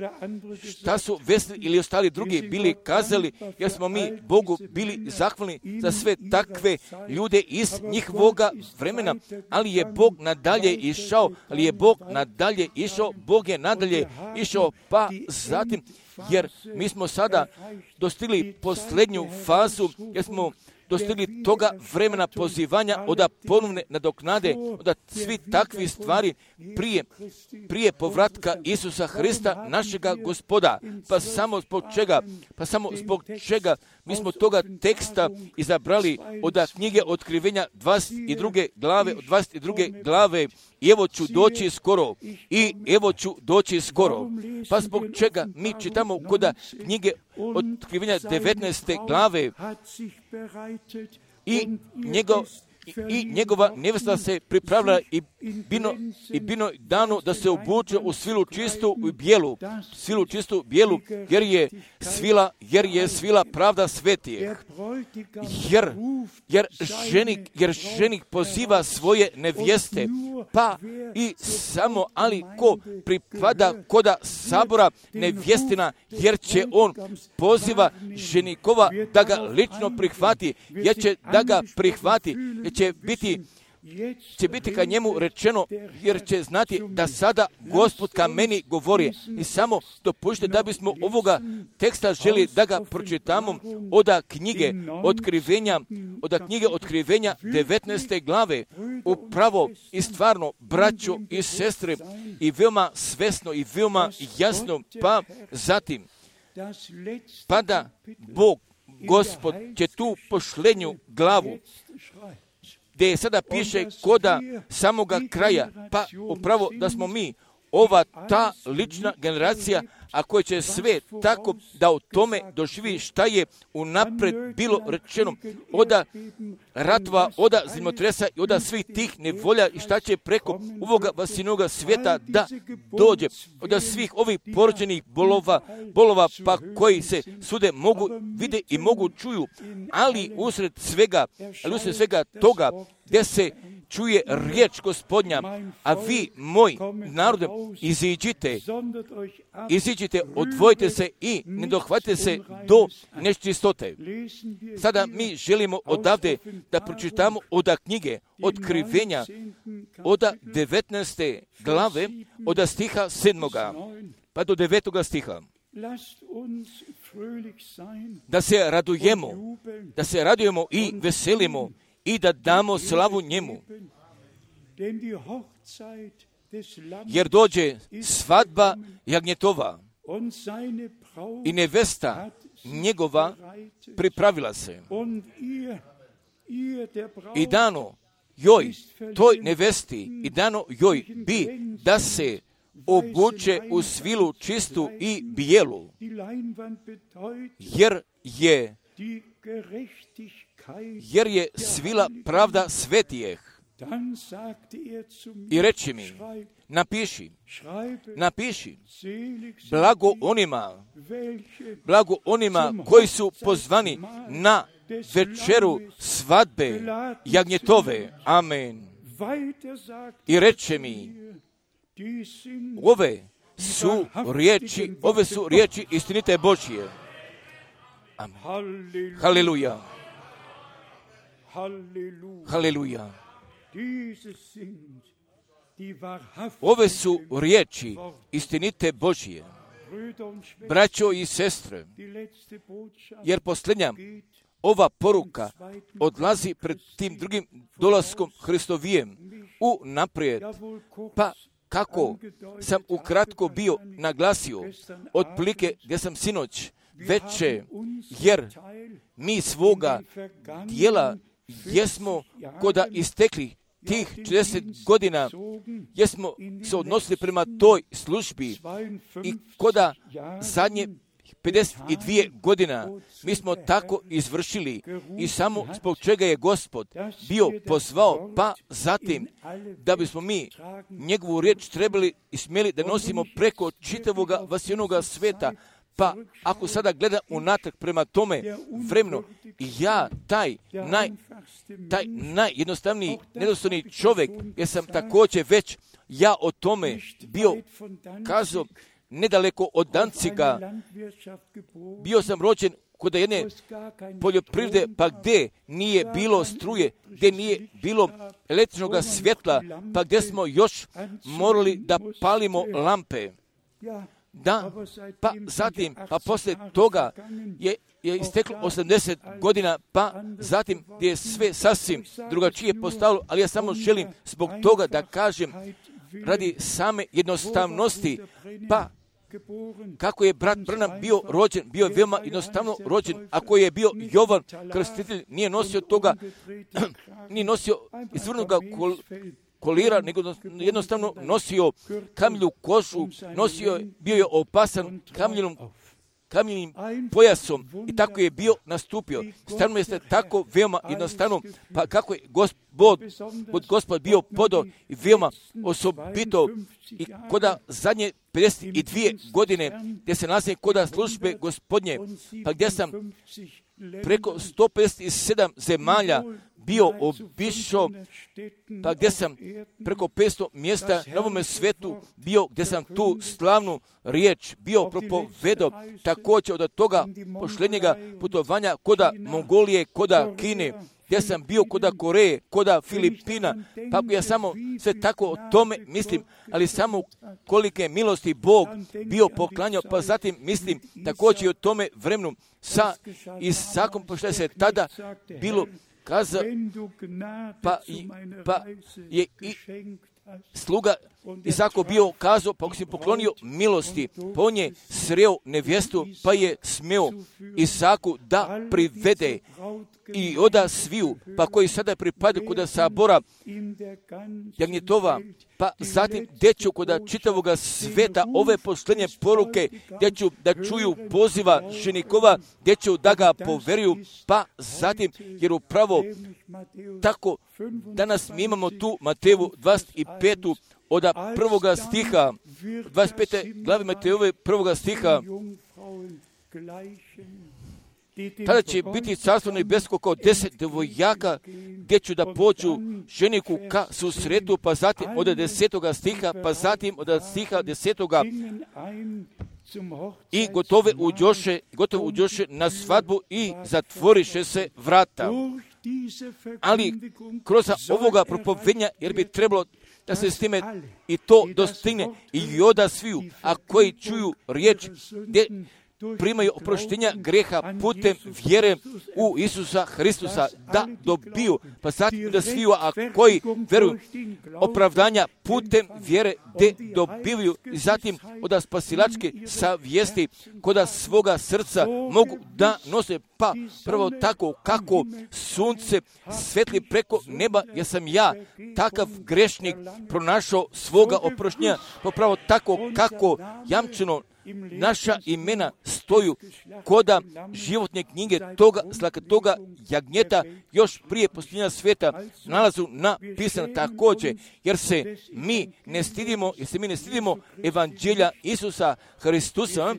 šta su Wesley ili ostali drugi bili kazali, jer smo mi Bogu bili zahvalni za sve takve ljude iz njihovoga vremena, ali je Bog nadalje išao, Bog je nadalje išao, pa zatim, jer mi smo sada dostigli posljednju fazu, jer smo dostigli toga vremena pozivanja od ponovne nadoknade, od svi takvi stvari prije povratka Isusa Hrista, našega Gospoda. Pa samo zbog čega mi smo toga teksta izabrali od knjige Otkrivenja 22. glave, i evo ću doći skoro. Pa zbog čega mi čitamo kod knjige Otkrivenja 19. glave i njegova nevesta se pripravila i bino dano da se obuče u svilu čistu bijelu, jer je svila pravda svetijeh. Jer ženik poziva svoje nevjeste, pa i samo, ali ko pripada koda sabora nevjestina, jer će on poziva ženikova da ga lično prihvati, jer će da ga prihvati, jer će biti ka njemu rečeno, jer će znati da sada Gospod ka meni govori. I samo dopušte da bismo ovoga teksta želi da ga pročitamo od knjige Otkrivenja 19. glave. Upravo i stvarno, braćo i sestre, i veoma svesno i veoma jasno, pa zatim, pa da Bog, Gospod, će tu posljednju glavu, gdje sada piše koda samoga kraja, pa upravo da smo mi ova ta lična generacija, a koja će sve tako da o tome doživi šta je unapred bilo rečeno od ratova, od zemljotresa i od svih tih nevolja i šta će preko ovoga vasinoga svijeta da dođe, od svih ovih porođenih bolova pa koji se sude mogu vide i mogu čuju, ali usred svega toga gdje se čuje riječ Gospodnja, a vi, moj narode, iziđite, odvojite se i ne dohvatite se do nečistote. Sada mi želimo odavde da pročitamo od knjige Otkrivenja, od 19. glave, od stiha 7. pa do 9. stiha. Da se radujemo i veselimo i da damo slavu njemu. Jer dođe svadba jagnjetova i nevesta njegova pripravila se. I dano joj, toj nevesti, i dano joj bi da se obuče u svilu čistu i bijelu, jer je svila pravda svetijeh. I reči mi, napiši, blago onima koji su pozvani na večeru svadbe jagnjetove. Amen. I reče mi, ove su riječi istinite Božje. Amen. Haleluja. Haleluja. Ove su riječi istinite Božje. braćo i sestre, jer posljednja ova poruka odlazi pred tim drugim dolaskom Hristovijem u naprijed. Pa kako sam ukratko bio naglasio, otprilike gdje sam sinoć veče, jer mi svoga dijela jesmo koda istekli tih 40 godina, jesmo se odnosili prema toj službi i koda zadnje 52 godina mi smo tako izvršili i samo zbog čega je Gospod bio pozvao, pa zatim da bismo mi njegovu riječ trebali i smjeli da nosimo preko čitavoga vasijenoga sveta. Pa ako sada gledam unatrag prema tome vremenu, ja taj najjednostavniji, nedostojni čovjek, jer sam također već ja o tome bio kazao nedaleko od Danciga. Bio sam rođen kod jedne poljoprivrede, pa gdje nije bilo struje, gdje nije bilo električnog svjetla, pa gdje smo još morali da palimo lampe. Da, pa zatim, pa poslije toga je isteklo 80 godina, pa zatim je sve sasvim drugačije postalo, ali ja samo želim zbog toga da kažem radi same jednostavnosti, pa kako je brat Branham bio rođen, bio je veoma jednostavno rođen. Ako je bio Jovan Krstitelj, nije nosio toga, nije nosio izvrnuga kolira, nego jednostavno nosio kamilju kožu, bio je opasan kamiljnim pojasom i tako je nastupio. Stvarno jeste tako veoma jednostavno, pa kako je Gospod bio podo i veoma osobito i koda zadnje 52 godine gdje se nalazi koda službe Gospodnje, pa gdje sam preko 157 zemalja bio obišao, pa gdje sam preko 500 mjesta na ovome svetu bio, gdje sam tu slavnu riječ bio propovedao, također od toga posljednjega putovanja koda Mongolije, koda Kine, gdje sam bio koda Koreje, koda Filipina, pa ja samo sve tako o tome mislim, ali samo kolike milosti Bog bio poklanjao, pa zatim mislim također i o tome vremenu sa Isakom, pošto se tada bilo kaza, pa je i sluga Isako bio kazao, pa ako si poklonio milosti, pa on je sreo nevjestu, pa je smeo Isaku da privede i oda sviju, pa koji sada pripadaju kod sabora jagnjetova, pa zatim djeću kod čitavoga sveta ove posljednje poruke, djeću da čuju poziva ženikova, djeću da ga poveruju, pa zatim, jer upravo tako danas mi imamo tu Matejevu 25. od prvoga stiha, 25. glave Matejove prvoga stiha, tada će biti carstvo nebesko kao 10 devojaka, gdje ću da pođu ženiku ka susretu, pa zatim od 10. stiha, pa zatim od stiha 10. i gotovo uđoše na svadbu i zatvoriše se vrata. Ali kroz ovoga propovednja, jer bi trebalo da se s time i to dostigne i oda sviju, a koji čuju riječ gdje primaju oproštenja greha putem vjere u Isusa Hristusa, da dobiju, pa zatim da sviju, a koji veruju opravdanja putem vjere gdje dobivaju i zatim od spasilačke savjesti koda svoga srca mogu da nose, pa prvo tako kako sunce svetli preko neba, jer sam ja takav grešnik pronašao svoga oproštenja, pa pravo tako kako jamčeno naša imena stoju koda životne knjige toga jagnjeta još prije posljednja sveta nalazu napisano također, jer se mi ne stidimo evanđelja Isusa Hristusa,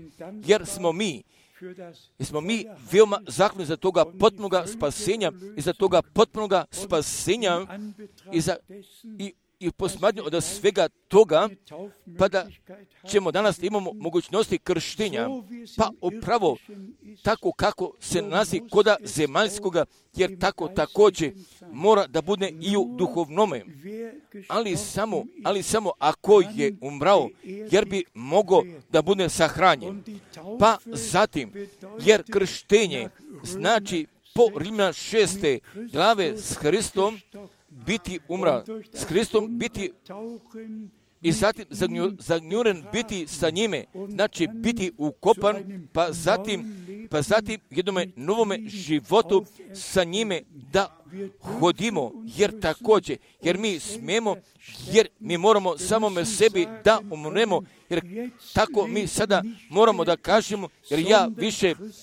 jer smo mi veoma zahvalni za toga potpunoga spasenja i za toga potpunoga spasenja i posmatranju od svega toga, pa da ćemo danas imamo mogućnosti krštenja, pa upravo tako kako se nalazi koda zemaljskoga, jer tako također mora da bude i u duhovnome. Ali samo ako je umrao, jer bi mogao da bude sahranjen. Pa zatim, jer krštenje znači po Rimljana 6. glave s Hristom biti umra, s Hristom biti i zatim zagnjuren biti sa njime, znači biti ukopan, pa zatim jednome novome životu sa njime da hodimo, jer mi smemo, jer mi moramo samome sebi da umremo, jer tako mi sada moramo da kažemo,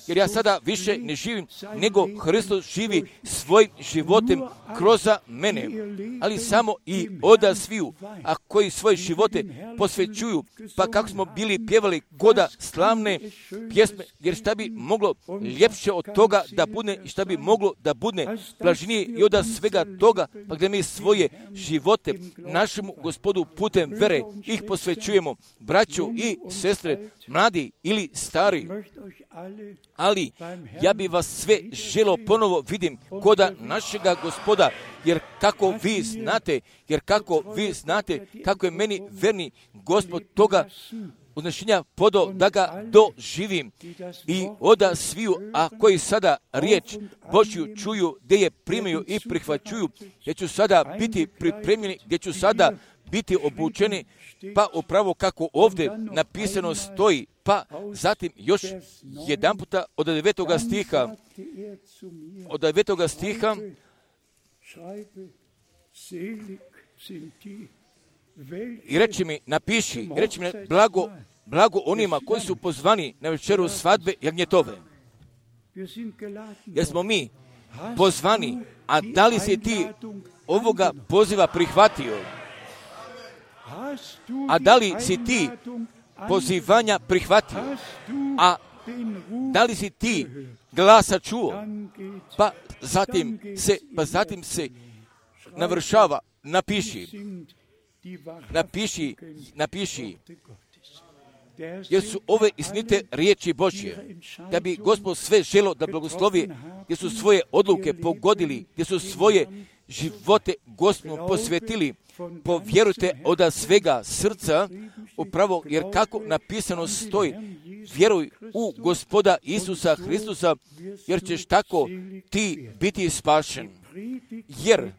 jer ja sada više ne živim, nego Hristos živi svojim životem kroz mene, ali samo i oda sviju, a koji svoje živote posvećuju, pa kako smo bili pjevali koda slavne pjesme, jer šta bi moglo ljepše od toga da bude, i šta bi moglo da bude blaženije i od svega toga, pa gdje mi svoje živote našemu Gospodu putem vere ih posvećujemo, braću i sestre, mladi ili stari. Ali ja bi vas sve želo ponovo vidim koda našega Gospoda, jer kako vi znate kako je meni verni Gospod toga uznešenja podao da ga doživim i oda sviju, a koji sada riječ Božju čuju, gdje je primaju i prihvaćuju, gdje ću sada biti pripremljeni, gdje ću sada biti obučeni, pa upravo kako ovdje napisano stoji, pa zatim još jedan puta od 9. stiha, i reći mi, napiši, blago onima koji su pozvani na večeru svadbe jagnjetove. Jer smo mi pozvani, a da li si ti ovoga poziva prihvatio? A da li si ti pozivanja prihvatio? A da li si ti glasa čuo? Pa zatim se navršava, napiši, jer su ove istinite riječi Božje, da bi Gospod sve želo da blagoslovi, gdje su svoje odluke pogodili, gdje su svoje živote Gospodu posvetili, povjerujte od svega srca, upravo jer kako napisano stoji, vjeruj u Gospoda Isusa Hristusa, jer ćeš tako ti biti spašen. Jer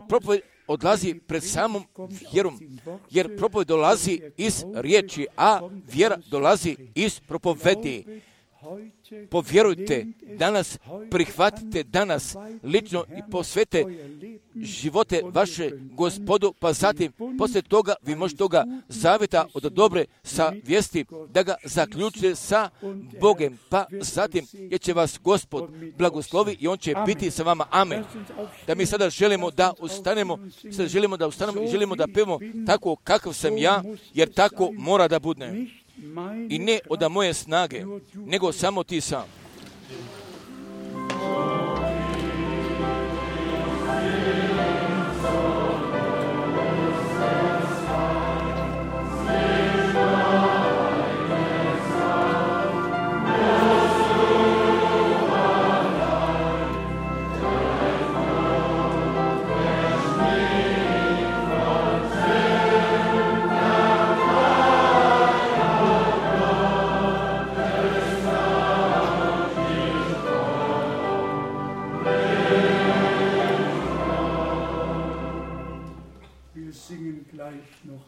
propoved odlazi pred samom vjerom, jer propoved dolazi iz riječi, a vjera dolazi iz propovedi. Povjerujte danas, prihvatite danas lično i posvete živote vaše Gospodu, pa zatim poslije toga vi možete toga zavjeta od dobre savjesti da ga zaključite sa Bogem, pa zatim jer će vas Gospod blagoslovi i on će biti sa vama. Amen. Da mi sada želimo da ustanemo, i želimo da pevamo tako kakav sam ja, jer tako mora da bude. I ne od moje snage, nego samo ti sam.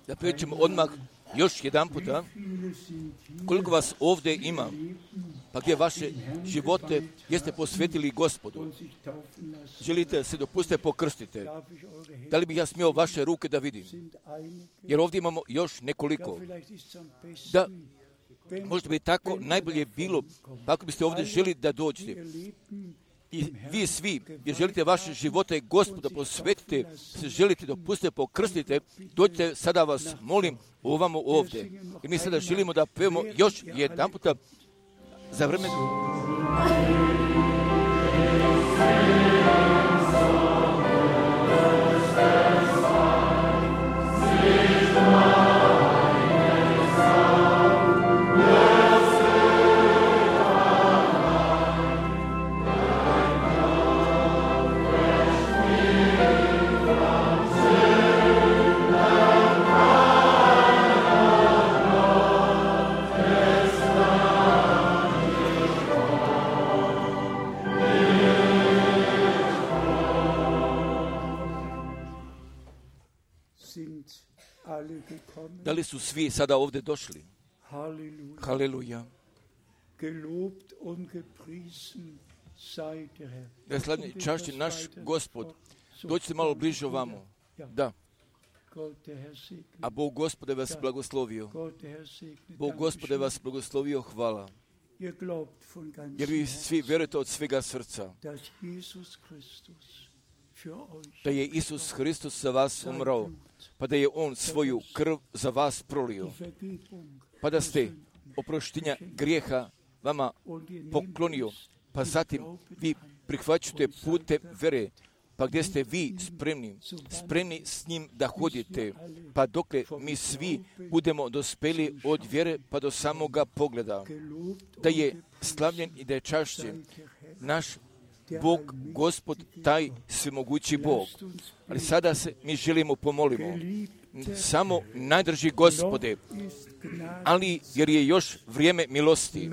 Da prećemo odmah još jedan puta, koliko vas ovdje ima, pa gdje vaše živote jeste posvetili Gospodu. Želite se dopustite pokrstite. Da li bih ja smio vaše ruke da vidim? Jer ovdje imamo još nekoliko. Da, možda bi tako najbolje bilo, pa ako biste ovdje želi da dođete. I vi svi, jer želite vaše živote Gospoda posvetite, se želite dopustite, pokrstite, dođite, sada vas molim ovamo ovdje. I mi sada želimo da pevamo još jedan puta za vreme. Da li su svi sada ovdje došli? Haleluja. Da slavni čašći naš Gospod. Dođite malo bliže ovamo. Da. A Bog Gospode vas blagoslovio. Bog Gospode vas blagoslovio, hvala. Jer vi svi vjerujete od svega srca da je Isus Hristos za vas umrao, pa da je On svoju krv za vas prolio, pa da ste oproštenja grijeha vama poklonio, pa zatim vi prihvaćate putem vere, pa gdje ste vi spremni s njim da hodite, pa dokle mi svi budemo dospeli od vjere pa do samoga pogleda, da je slavljen i da je čašćen naš Bog, Gospod, taj svemogući Bog. Ali sada se mi želimo pomolimo. Samo najdrži Gospode, ali jer je još vrijeme milosti,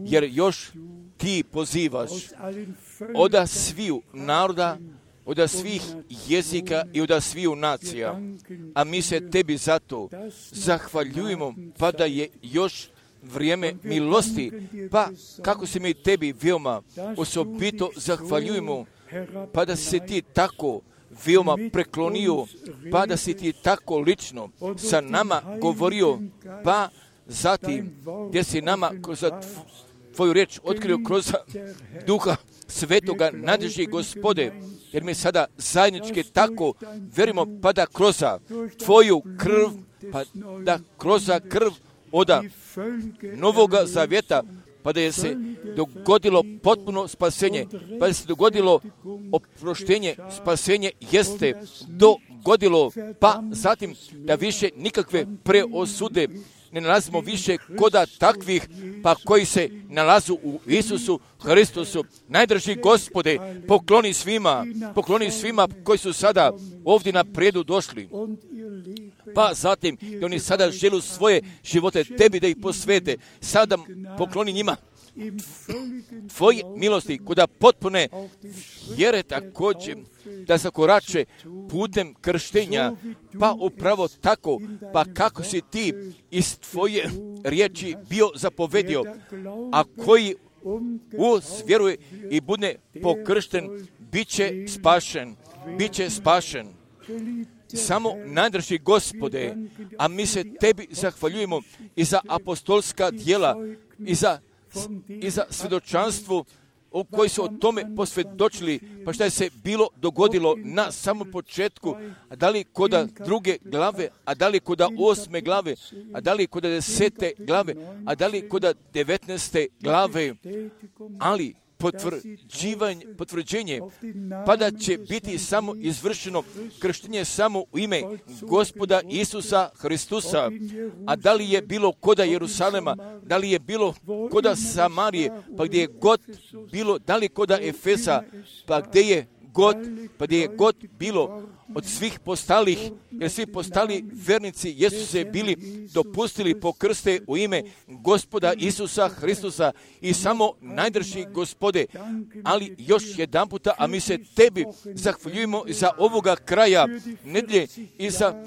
jer još ti pozivaš od sviju naroda, od svih jezika i od sviju nacija, a mi se tebi zato zahvaljujemo, pa da je još vrijeme milosti, pa kako se mi tebi veoma osobito zahvaljujemo, pa da se ti tako veoma preklonio, pa da si ti tako lično sa nama govorio, pa zatim gdje si nama kroz tvoju riječ otkrio kroz Duha Svetoga, nadrži Gospode, jer mi sada zajednički tako verimo, pa da kroz tvoju krv, pa da kroz krv od Novoga Zavjeta, pa da je se dogodilo potpuno spasenje, pa da se dogodilo oproštenje, spasenje jeste dogodilo, pa zatim da više nikakve preosude ne nalazimo više koda takvih, pa koji se nalazu u Isusu Hristusu. Najdrži Gospode, pokloni svima koji su sada ovdje na predu došli, pa zatim i oni sada žele svoje živote tebi da ih posvete, sada pokloni njima tvoje milosti, kuda potpune vjere također da zakorače putem krštenja, pa upravo tako, pa kako si ti iz tvoje riječi bio zapovedio, a koji vjeruje i bude pokršten, bit će spašen. Samo najdrži Gospode, a mi se tebi zahvaljujemo i za apostolska djela, i za svjedočanstvo koji su o tome posvjedočili, pa šta je se bilo dogodilo na samom početku, a da li koda 2. glave, a da li koda 8. glave, a da li koda 10. glave, a da li koda 19. glave, ali potvrđenje, pa da će biti samo izvršeno krštenje samo u ime Gospoda Isusa Hristusa, a da li je bilo koda Jerusalema, da li je bilo koda Samarije, pa gdje je god bilo, da li koda Efesa, pa gdje je god bilo od svih postalih, jer svi postali vernici jesu se bili dopustili pokrste u ime Gospoda Isusa Hristusa i samo najdrži Gospode, ali još jedan puta, a mi se tebi zahvaljujemo za ovoga kraja nedjelje i za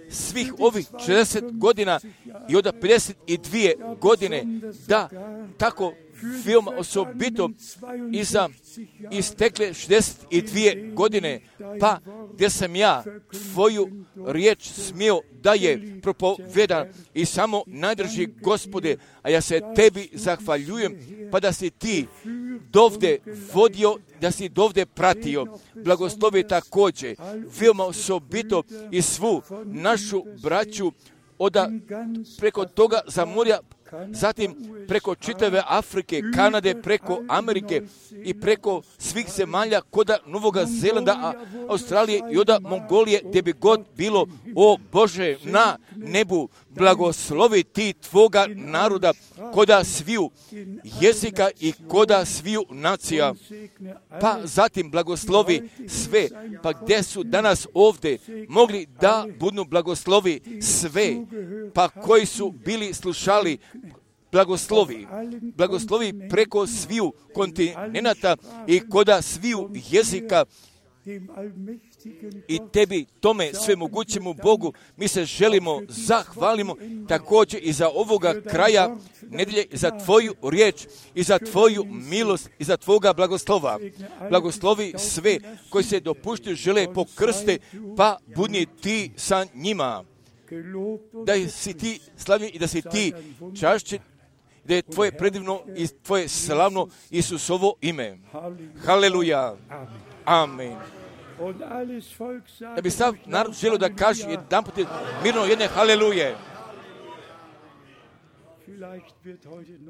svih ovih 60 godina i od 52 godine, da tako veoma osobito i za istekle 62 godine, pa gdje sam ja tvoju riječ smio da je propovedan i samo najdrži Gospode, a ja se tebi zahvaljujem, pa da si ti dovde vodio, da si dovde pratio. Blagoslovi također veoma osobito i svu našu braću preko toga za morja, zatim preko čitave Afrike, Kanade, preko Amerike i preko svih zemalja koda Novoga Zelanda, Australije i od Mongolije, gdje bi god bilo, o Bože, na nebu, blagoslovi ti tvoga naroda koda sviju jezika i koda sviju nacija. Pa zatim blagoslovi sve, pa gdje su danas ovdje mogli da budu blagoslovi sve, pa koji su bili slušali, blagoslovi preko sviju kontinenata i koda sviju jezika, i tebi, tome svemogućemu Bogu, mi se želimo zahvalimo također i za ovoga kraja nedjelje, za tvoju riječ i za tvoju milost i za tvoga blagoslova. Blagoslovi sve koji se dopuštaju žele pokrste, pa budni ti sa njima. Da si ti slavni i da si ti čašćen, da je tvoje predivno i tvoje slavno Isusovo ime. Haleluja. Amen. Da bi sav narod želio da kaže jedan put mirno jedne haleluje.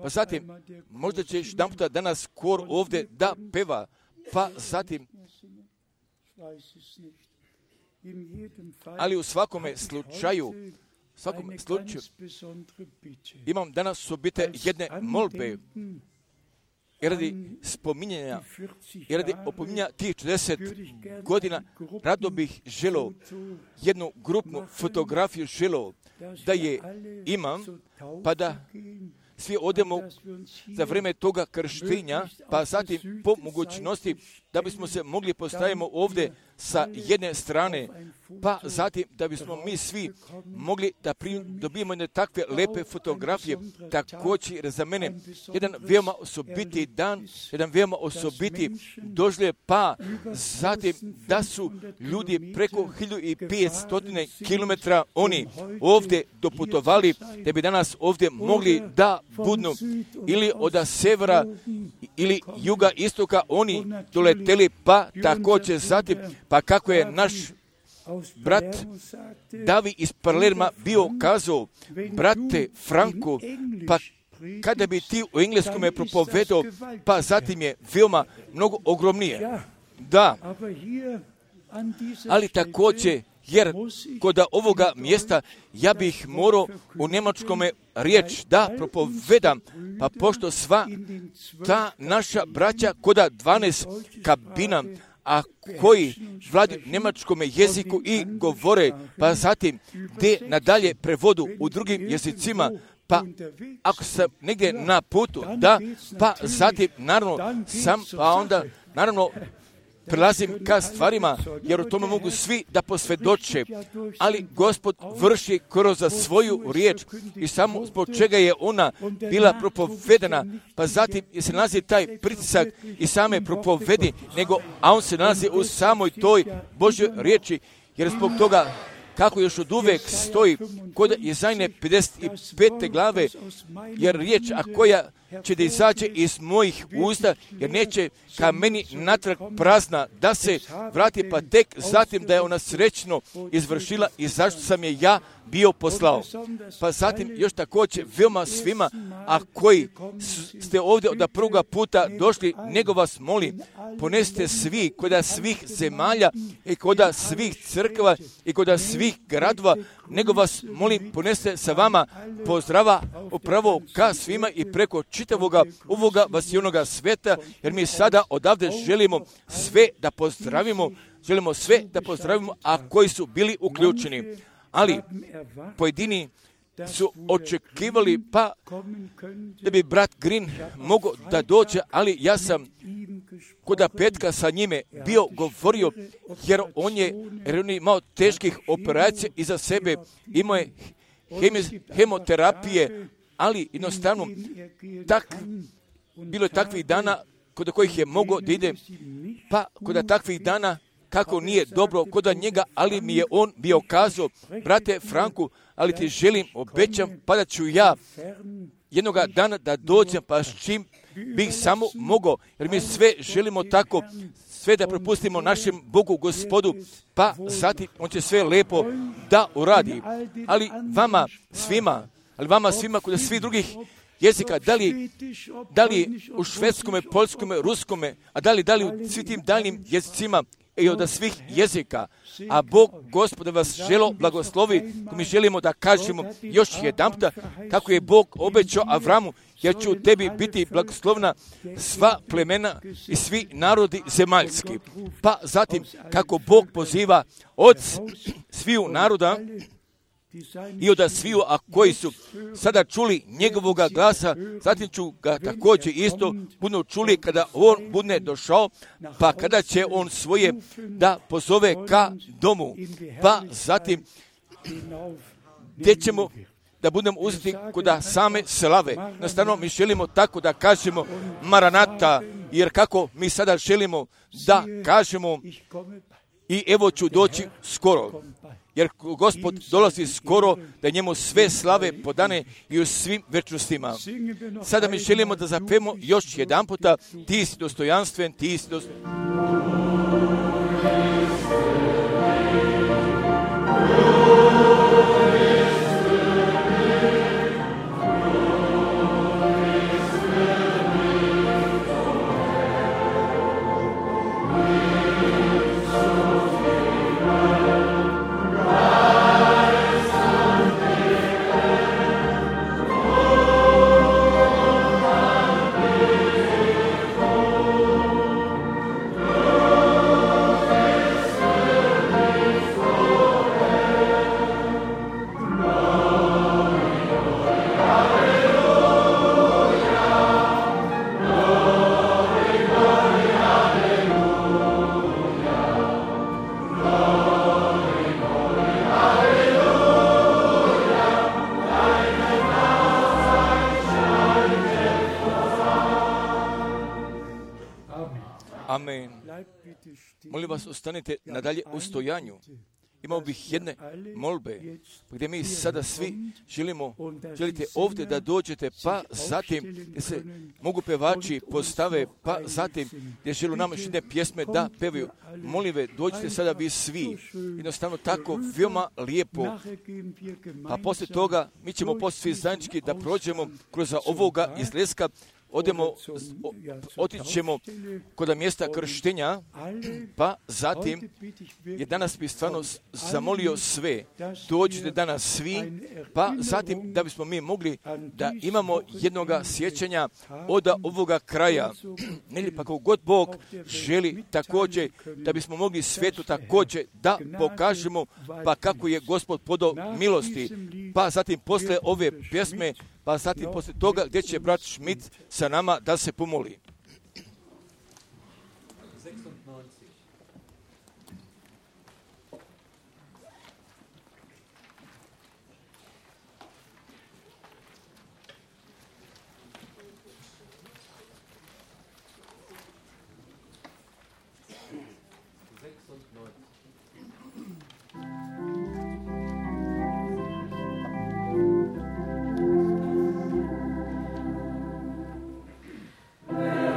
Pa zatim, možda će jedan puta danas kor ovdje da peva, pa zatim, ali u svakome slučaju, imam danas subite jedne molbe, i radi spominjanja, i radi opominjanja tih 40 godina, rado bih želio jednu grupnu fotografiju želio da je imam, pa da svi odemo za vrijeme toga krštenja, pa zatim po mogućnosti da bismo se mogli postaviti ovdje sa jedne strane, pa zatim da bismo mi svi mogli da dobijemo jedne takve lepe fotografije. Također za mene jedan veoma osobiti dan, jedan veoma osobiti doživljaj, pa zatim da su ljudi preko 1500 km oni ovdje doputovali da bi danas ovdje mogli da budnu ili od severa ili juga istoka oni doleteli, pa također zatim, pa kako je naš brat Davi iz Palerma bio kazao, brate Franko, pa kada bi ti u engleskome propovedao, pa zatim je veoma mnogo ogromnije. Da, ali također, jer kod ovoga mjesta ja bih morao u njemačkome riječ da propovedam, pa pošto sva ta naša braća koda 12 kabina, a koji vladi njemačkome jeziku i govore, pa zatim gdje nadalje prevodu u drugim jezicima, pa ako sam negdje na putu, da, pa zatim naravno sam, pa onda naravno prelazim ka stvarima, jer u tome mogu svi da posvjedoče, ali Gospod vrši kroz svoju riječ i samo zbog čega je ona bila propovedana, pa zatim se nalazi taj pritisak i same propovedi, a on se nalazi u samoj toj Božjoj riječi, jer zbog toga kako još od uvek stoji kod Jezajne 55. glave, jer riječ, a koja će da izađe iz mojih usta, jer neće ka meni natrag prazna da se vrati, pa tek zatim da je ona srećno izvršila i zašto sam je ja bio poslao. Pa zatim još također veoma svima, a koji ste ovdje od prvoga puta došli, nego vas molim, ponesite svi kod svih zemalja i kod svih crkva i kod svih gradova, nego vas molim, ponesite sa vama pozdrava upravo ka svima i preko čitavoga ovoga vasijonoga sveta, jer mi sada odavde želimo sve da pozdravimo, a koji su bili uključeni. Ali pojedini su očekivali, pa da bi brat Green mogao da dođe, ali ja sam kod petka sa njime bio govorio, jer on je imao teških operacija iza sebe, imao je hemoterapije, ali jednostavno bilo je takvih dana kod kojih je mogao da ide, pa kod takvih dana kako nije dobro kod njega, ali mi je on bio kazao, brate Franku, ali ti želim, obećam, pa da ću ja jednoga dana da dođem, pa s čim bih samo mogao, jer mi sve želimo tako, sve da propustimo našem Bogu, Gospodu, pa zatim on će sve lepo da uradi. Ali vama svima kod svih drugih jezika, da li u švedskome, poljskome, ruskome, a da li u svim tim daljnim jezicima i od svih jezika, a Bog, Gospod, vas želo blagoslovi, ko mi želimo da kažemo još jedanputa, kako je Bog obećao Avramu, jer će u tebi biti blagoslovna sva plemena i svi narodi zemaljski. Pa zatim, kako Bog poziva od sviju naroda, i od sviju, a koji su sada čuli njegovoga glasa, zatim ću ga također isto budu čuli kada on bude došao, pa kada će on svoje da pozove ka domu, pa zatim gdje ćemo da budemo uzeti kod same slave. Nastavno mi želimo tako da kažemo Maranata, jer kako mi sada želimo da kažemo i evo ću doći skoro. Jer Gospod dolazi skoro da njemu sve slave podane i u svim večnostima. Sada mi želimo da zapevamo još jedan puta, ti si dostojanstven, ti si dostojanstven. Amen. Molim vas, ostanite nadalje u stojanju. Imao bih jedne molbe, gdje mi sada svi želite ovdje da dođete, pa zatim gdje se mogu pevači postave, pa zatim gdje želu nam još jedne pjesme da pevaju. Molim vas, dođite sada vi svi. Jednostavno tako veoma lijepo. A poslije toga mi ćemo poslije svi zajednički da prođemo kroz ovoga izleska. Otićemo kod mjesta krštenja, pa zatim je danas bi stvarno zamolio sve, dođite danas svi, pa zatim da bismo mi mogli da imamo jednoga sjećanja od ovoga kraja. Ili pa kako god Bog želi također da bismo mogli svijetu također da pokažemo pa kako je Gospod podao milosti, pa zatim posle ove pjesme, pa zatim poslije toga gdje će brat Schmidt sa nama da se pomoli. Yeah.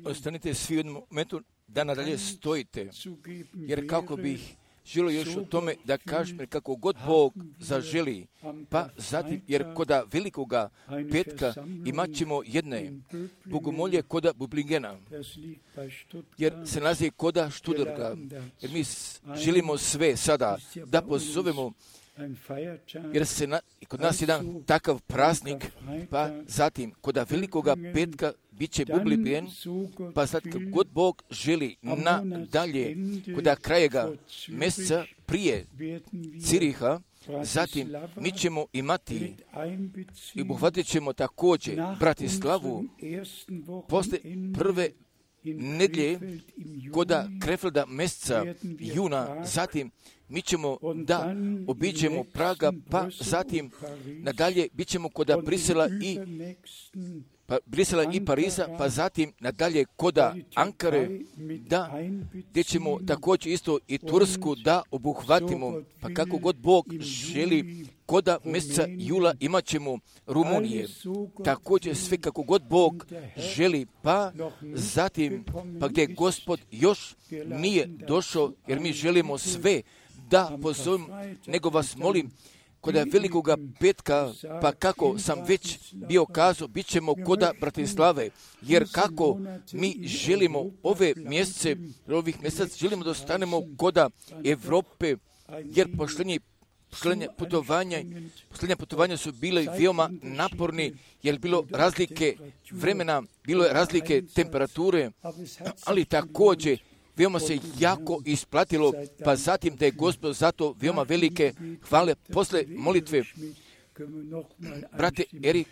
ostanite svi u jednom momentu da nadalje stojite, jer kako bih želio još o tome da kažem kako god Bog zaželi, pa zatim, jer koda velikoga petka imat ćemo jedne bogomolje koda Bublingena, jer se nalazi koda Študrga, jer mi želimo sve sada da pozovemo, jer kod nas jedan takav praznik, pa zatim koda velikoga petka bit će Bublingen, pa sad god Bog želi nadalje, koda krajega mjeseca prije Ciriha, zatim mi ćemo imati i obuhvatit ćemo također Bratislavu posle prve nedjelje koda Krefelda mjeseca juna, zatim mi ćemo da obiđemo Praga, pa zatim nadalje bit ćemo koda Brisela i Pariza, pa zatim nadalje koda Ankare, gdje ćemo također isto i Tursku da obuhvatimo, pa kako god Bog želi, koda mjeseca jula imat ćemo Rumunije, također sve kako god Bog želi, pa zatim, pa gdje Gospod još nije došao, jer mi želimo sve da pozovem, nego vas molim, koda velikoga petka, pa kako sam već bio kazao, bit ćemo koda Bratislave, jer kako mi želimo ovih mjeseca, želimo da ostanemo koda Evrope, jer posljednja putovanja su bile veoma naporni, jer bilo razlike vremena, bilo je razlike temperature, ali također veoma se jako isplatilo, pa zatim da je Gospod zato veoma velike hvale. Posle molitve, brate Erik,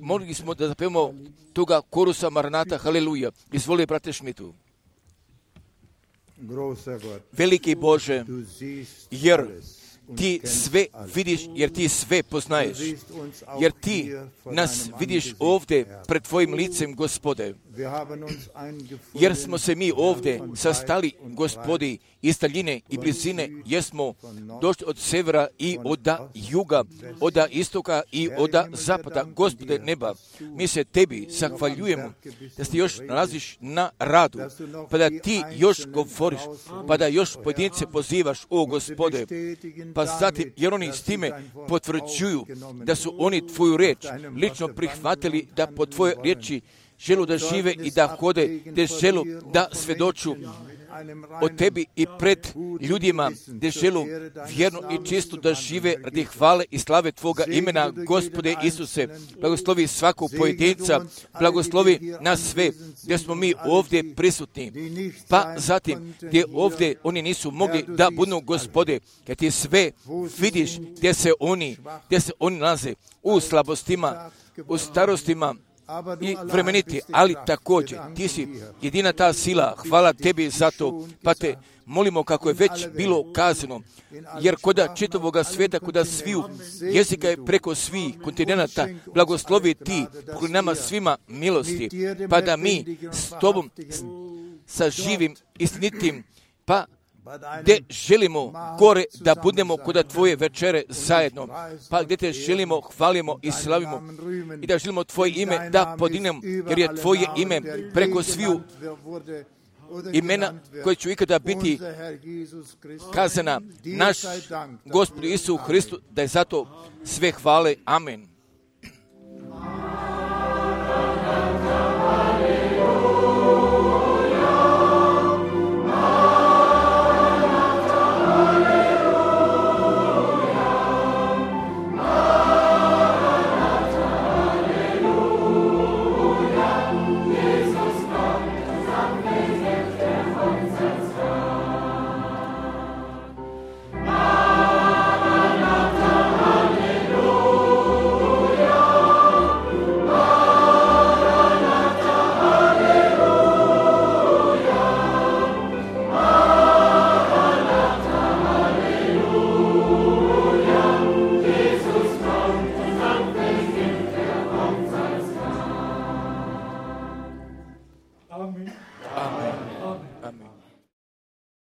molili smo da zapevamo toga korusa Maranata, haleluja. Izvoli, brate Šmitu. Veliki Bože, jer ti sve vidiš, jer ti sve poznaješ, jer ti nas vidiš ovdje pred tvojim licem, Gospode, jer smo se mi ovdje sastali, Gospodi, iz daljine i blizine, jer smo došli od severa i od juga, od istoka i od zapada. Gospode neba, mi se tebi zahvaljujemo da se još nalaziš na radu, pa da ti još govoriš, pa da još pojedince pozivaš, o Gospode, pa zatim, jer oni s time potvrđuju da su oni tvoju riječ lično prihvatili, da po tvojoj riječi želu da žive i da hode, da želu da svedoču o tebi i pred ljudima, da želu vjerno i čisto da žive radi hvale i slave tvoga imena, Gospode Isuse. Blagoslovi svakog pojedinca, blagoslovi nas sve, gdje smo mi ovdje prisutni, pa zatim gdje ovdje oni nisu mogli da budu, Gospode, jer ti sve vidiš gdje se oni nalaze, u slabostima, u starostima i vremeniti, ali također ti si jedina ta sila, hvala tebi za to, pa te molimo kako je već bilo kazano, jer koda čitavoga svijeta, koda sviju jezika je preko svih kontinenta, blagoslovi ti pokoj nama svima milosti, pa da mi s tobom sa živim istinitim, pa gdje želimo gore da budemo koda tvoje večere zajedno, pa gdje te želimo, hvalimo i slavimo i da želimo tvoje ime da podignemo, jer je tvoje ime preko sviju imena koje će ikada biti kazana naš Gospod Isus Hristu, da je zato sve hvale. Amen.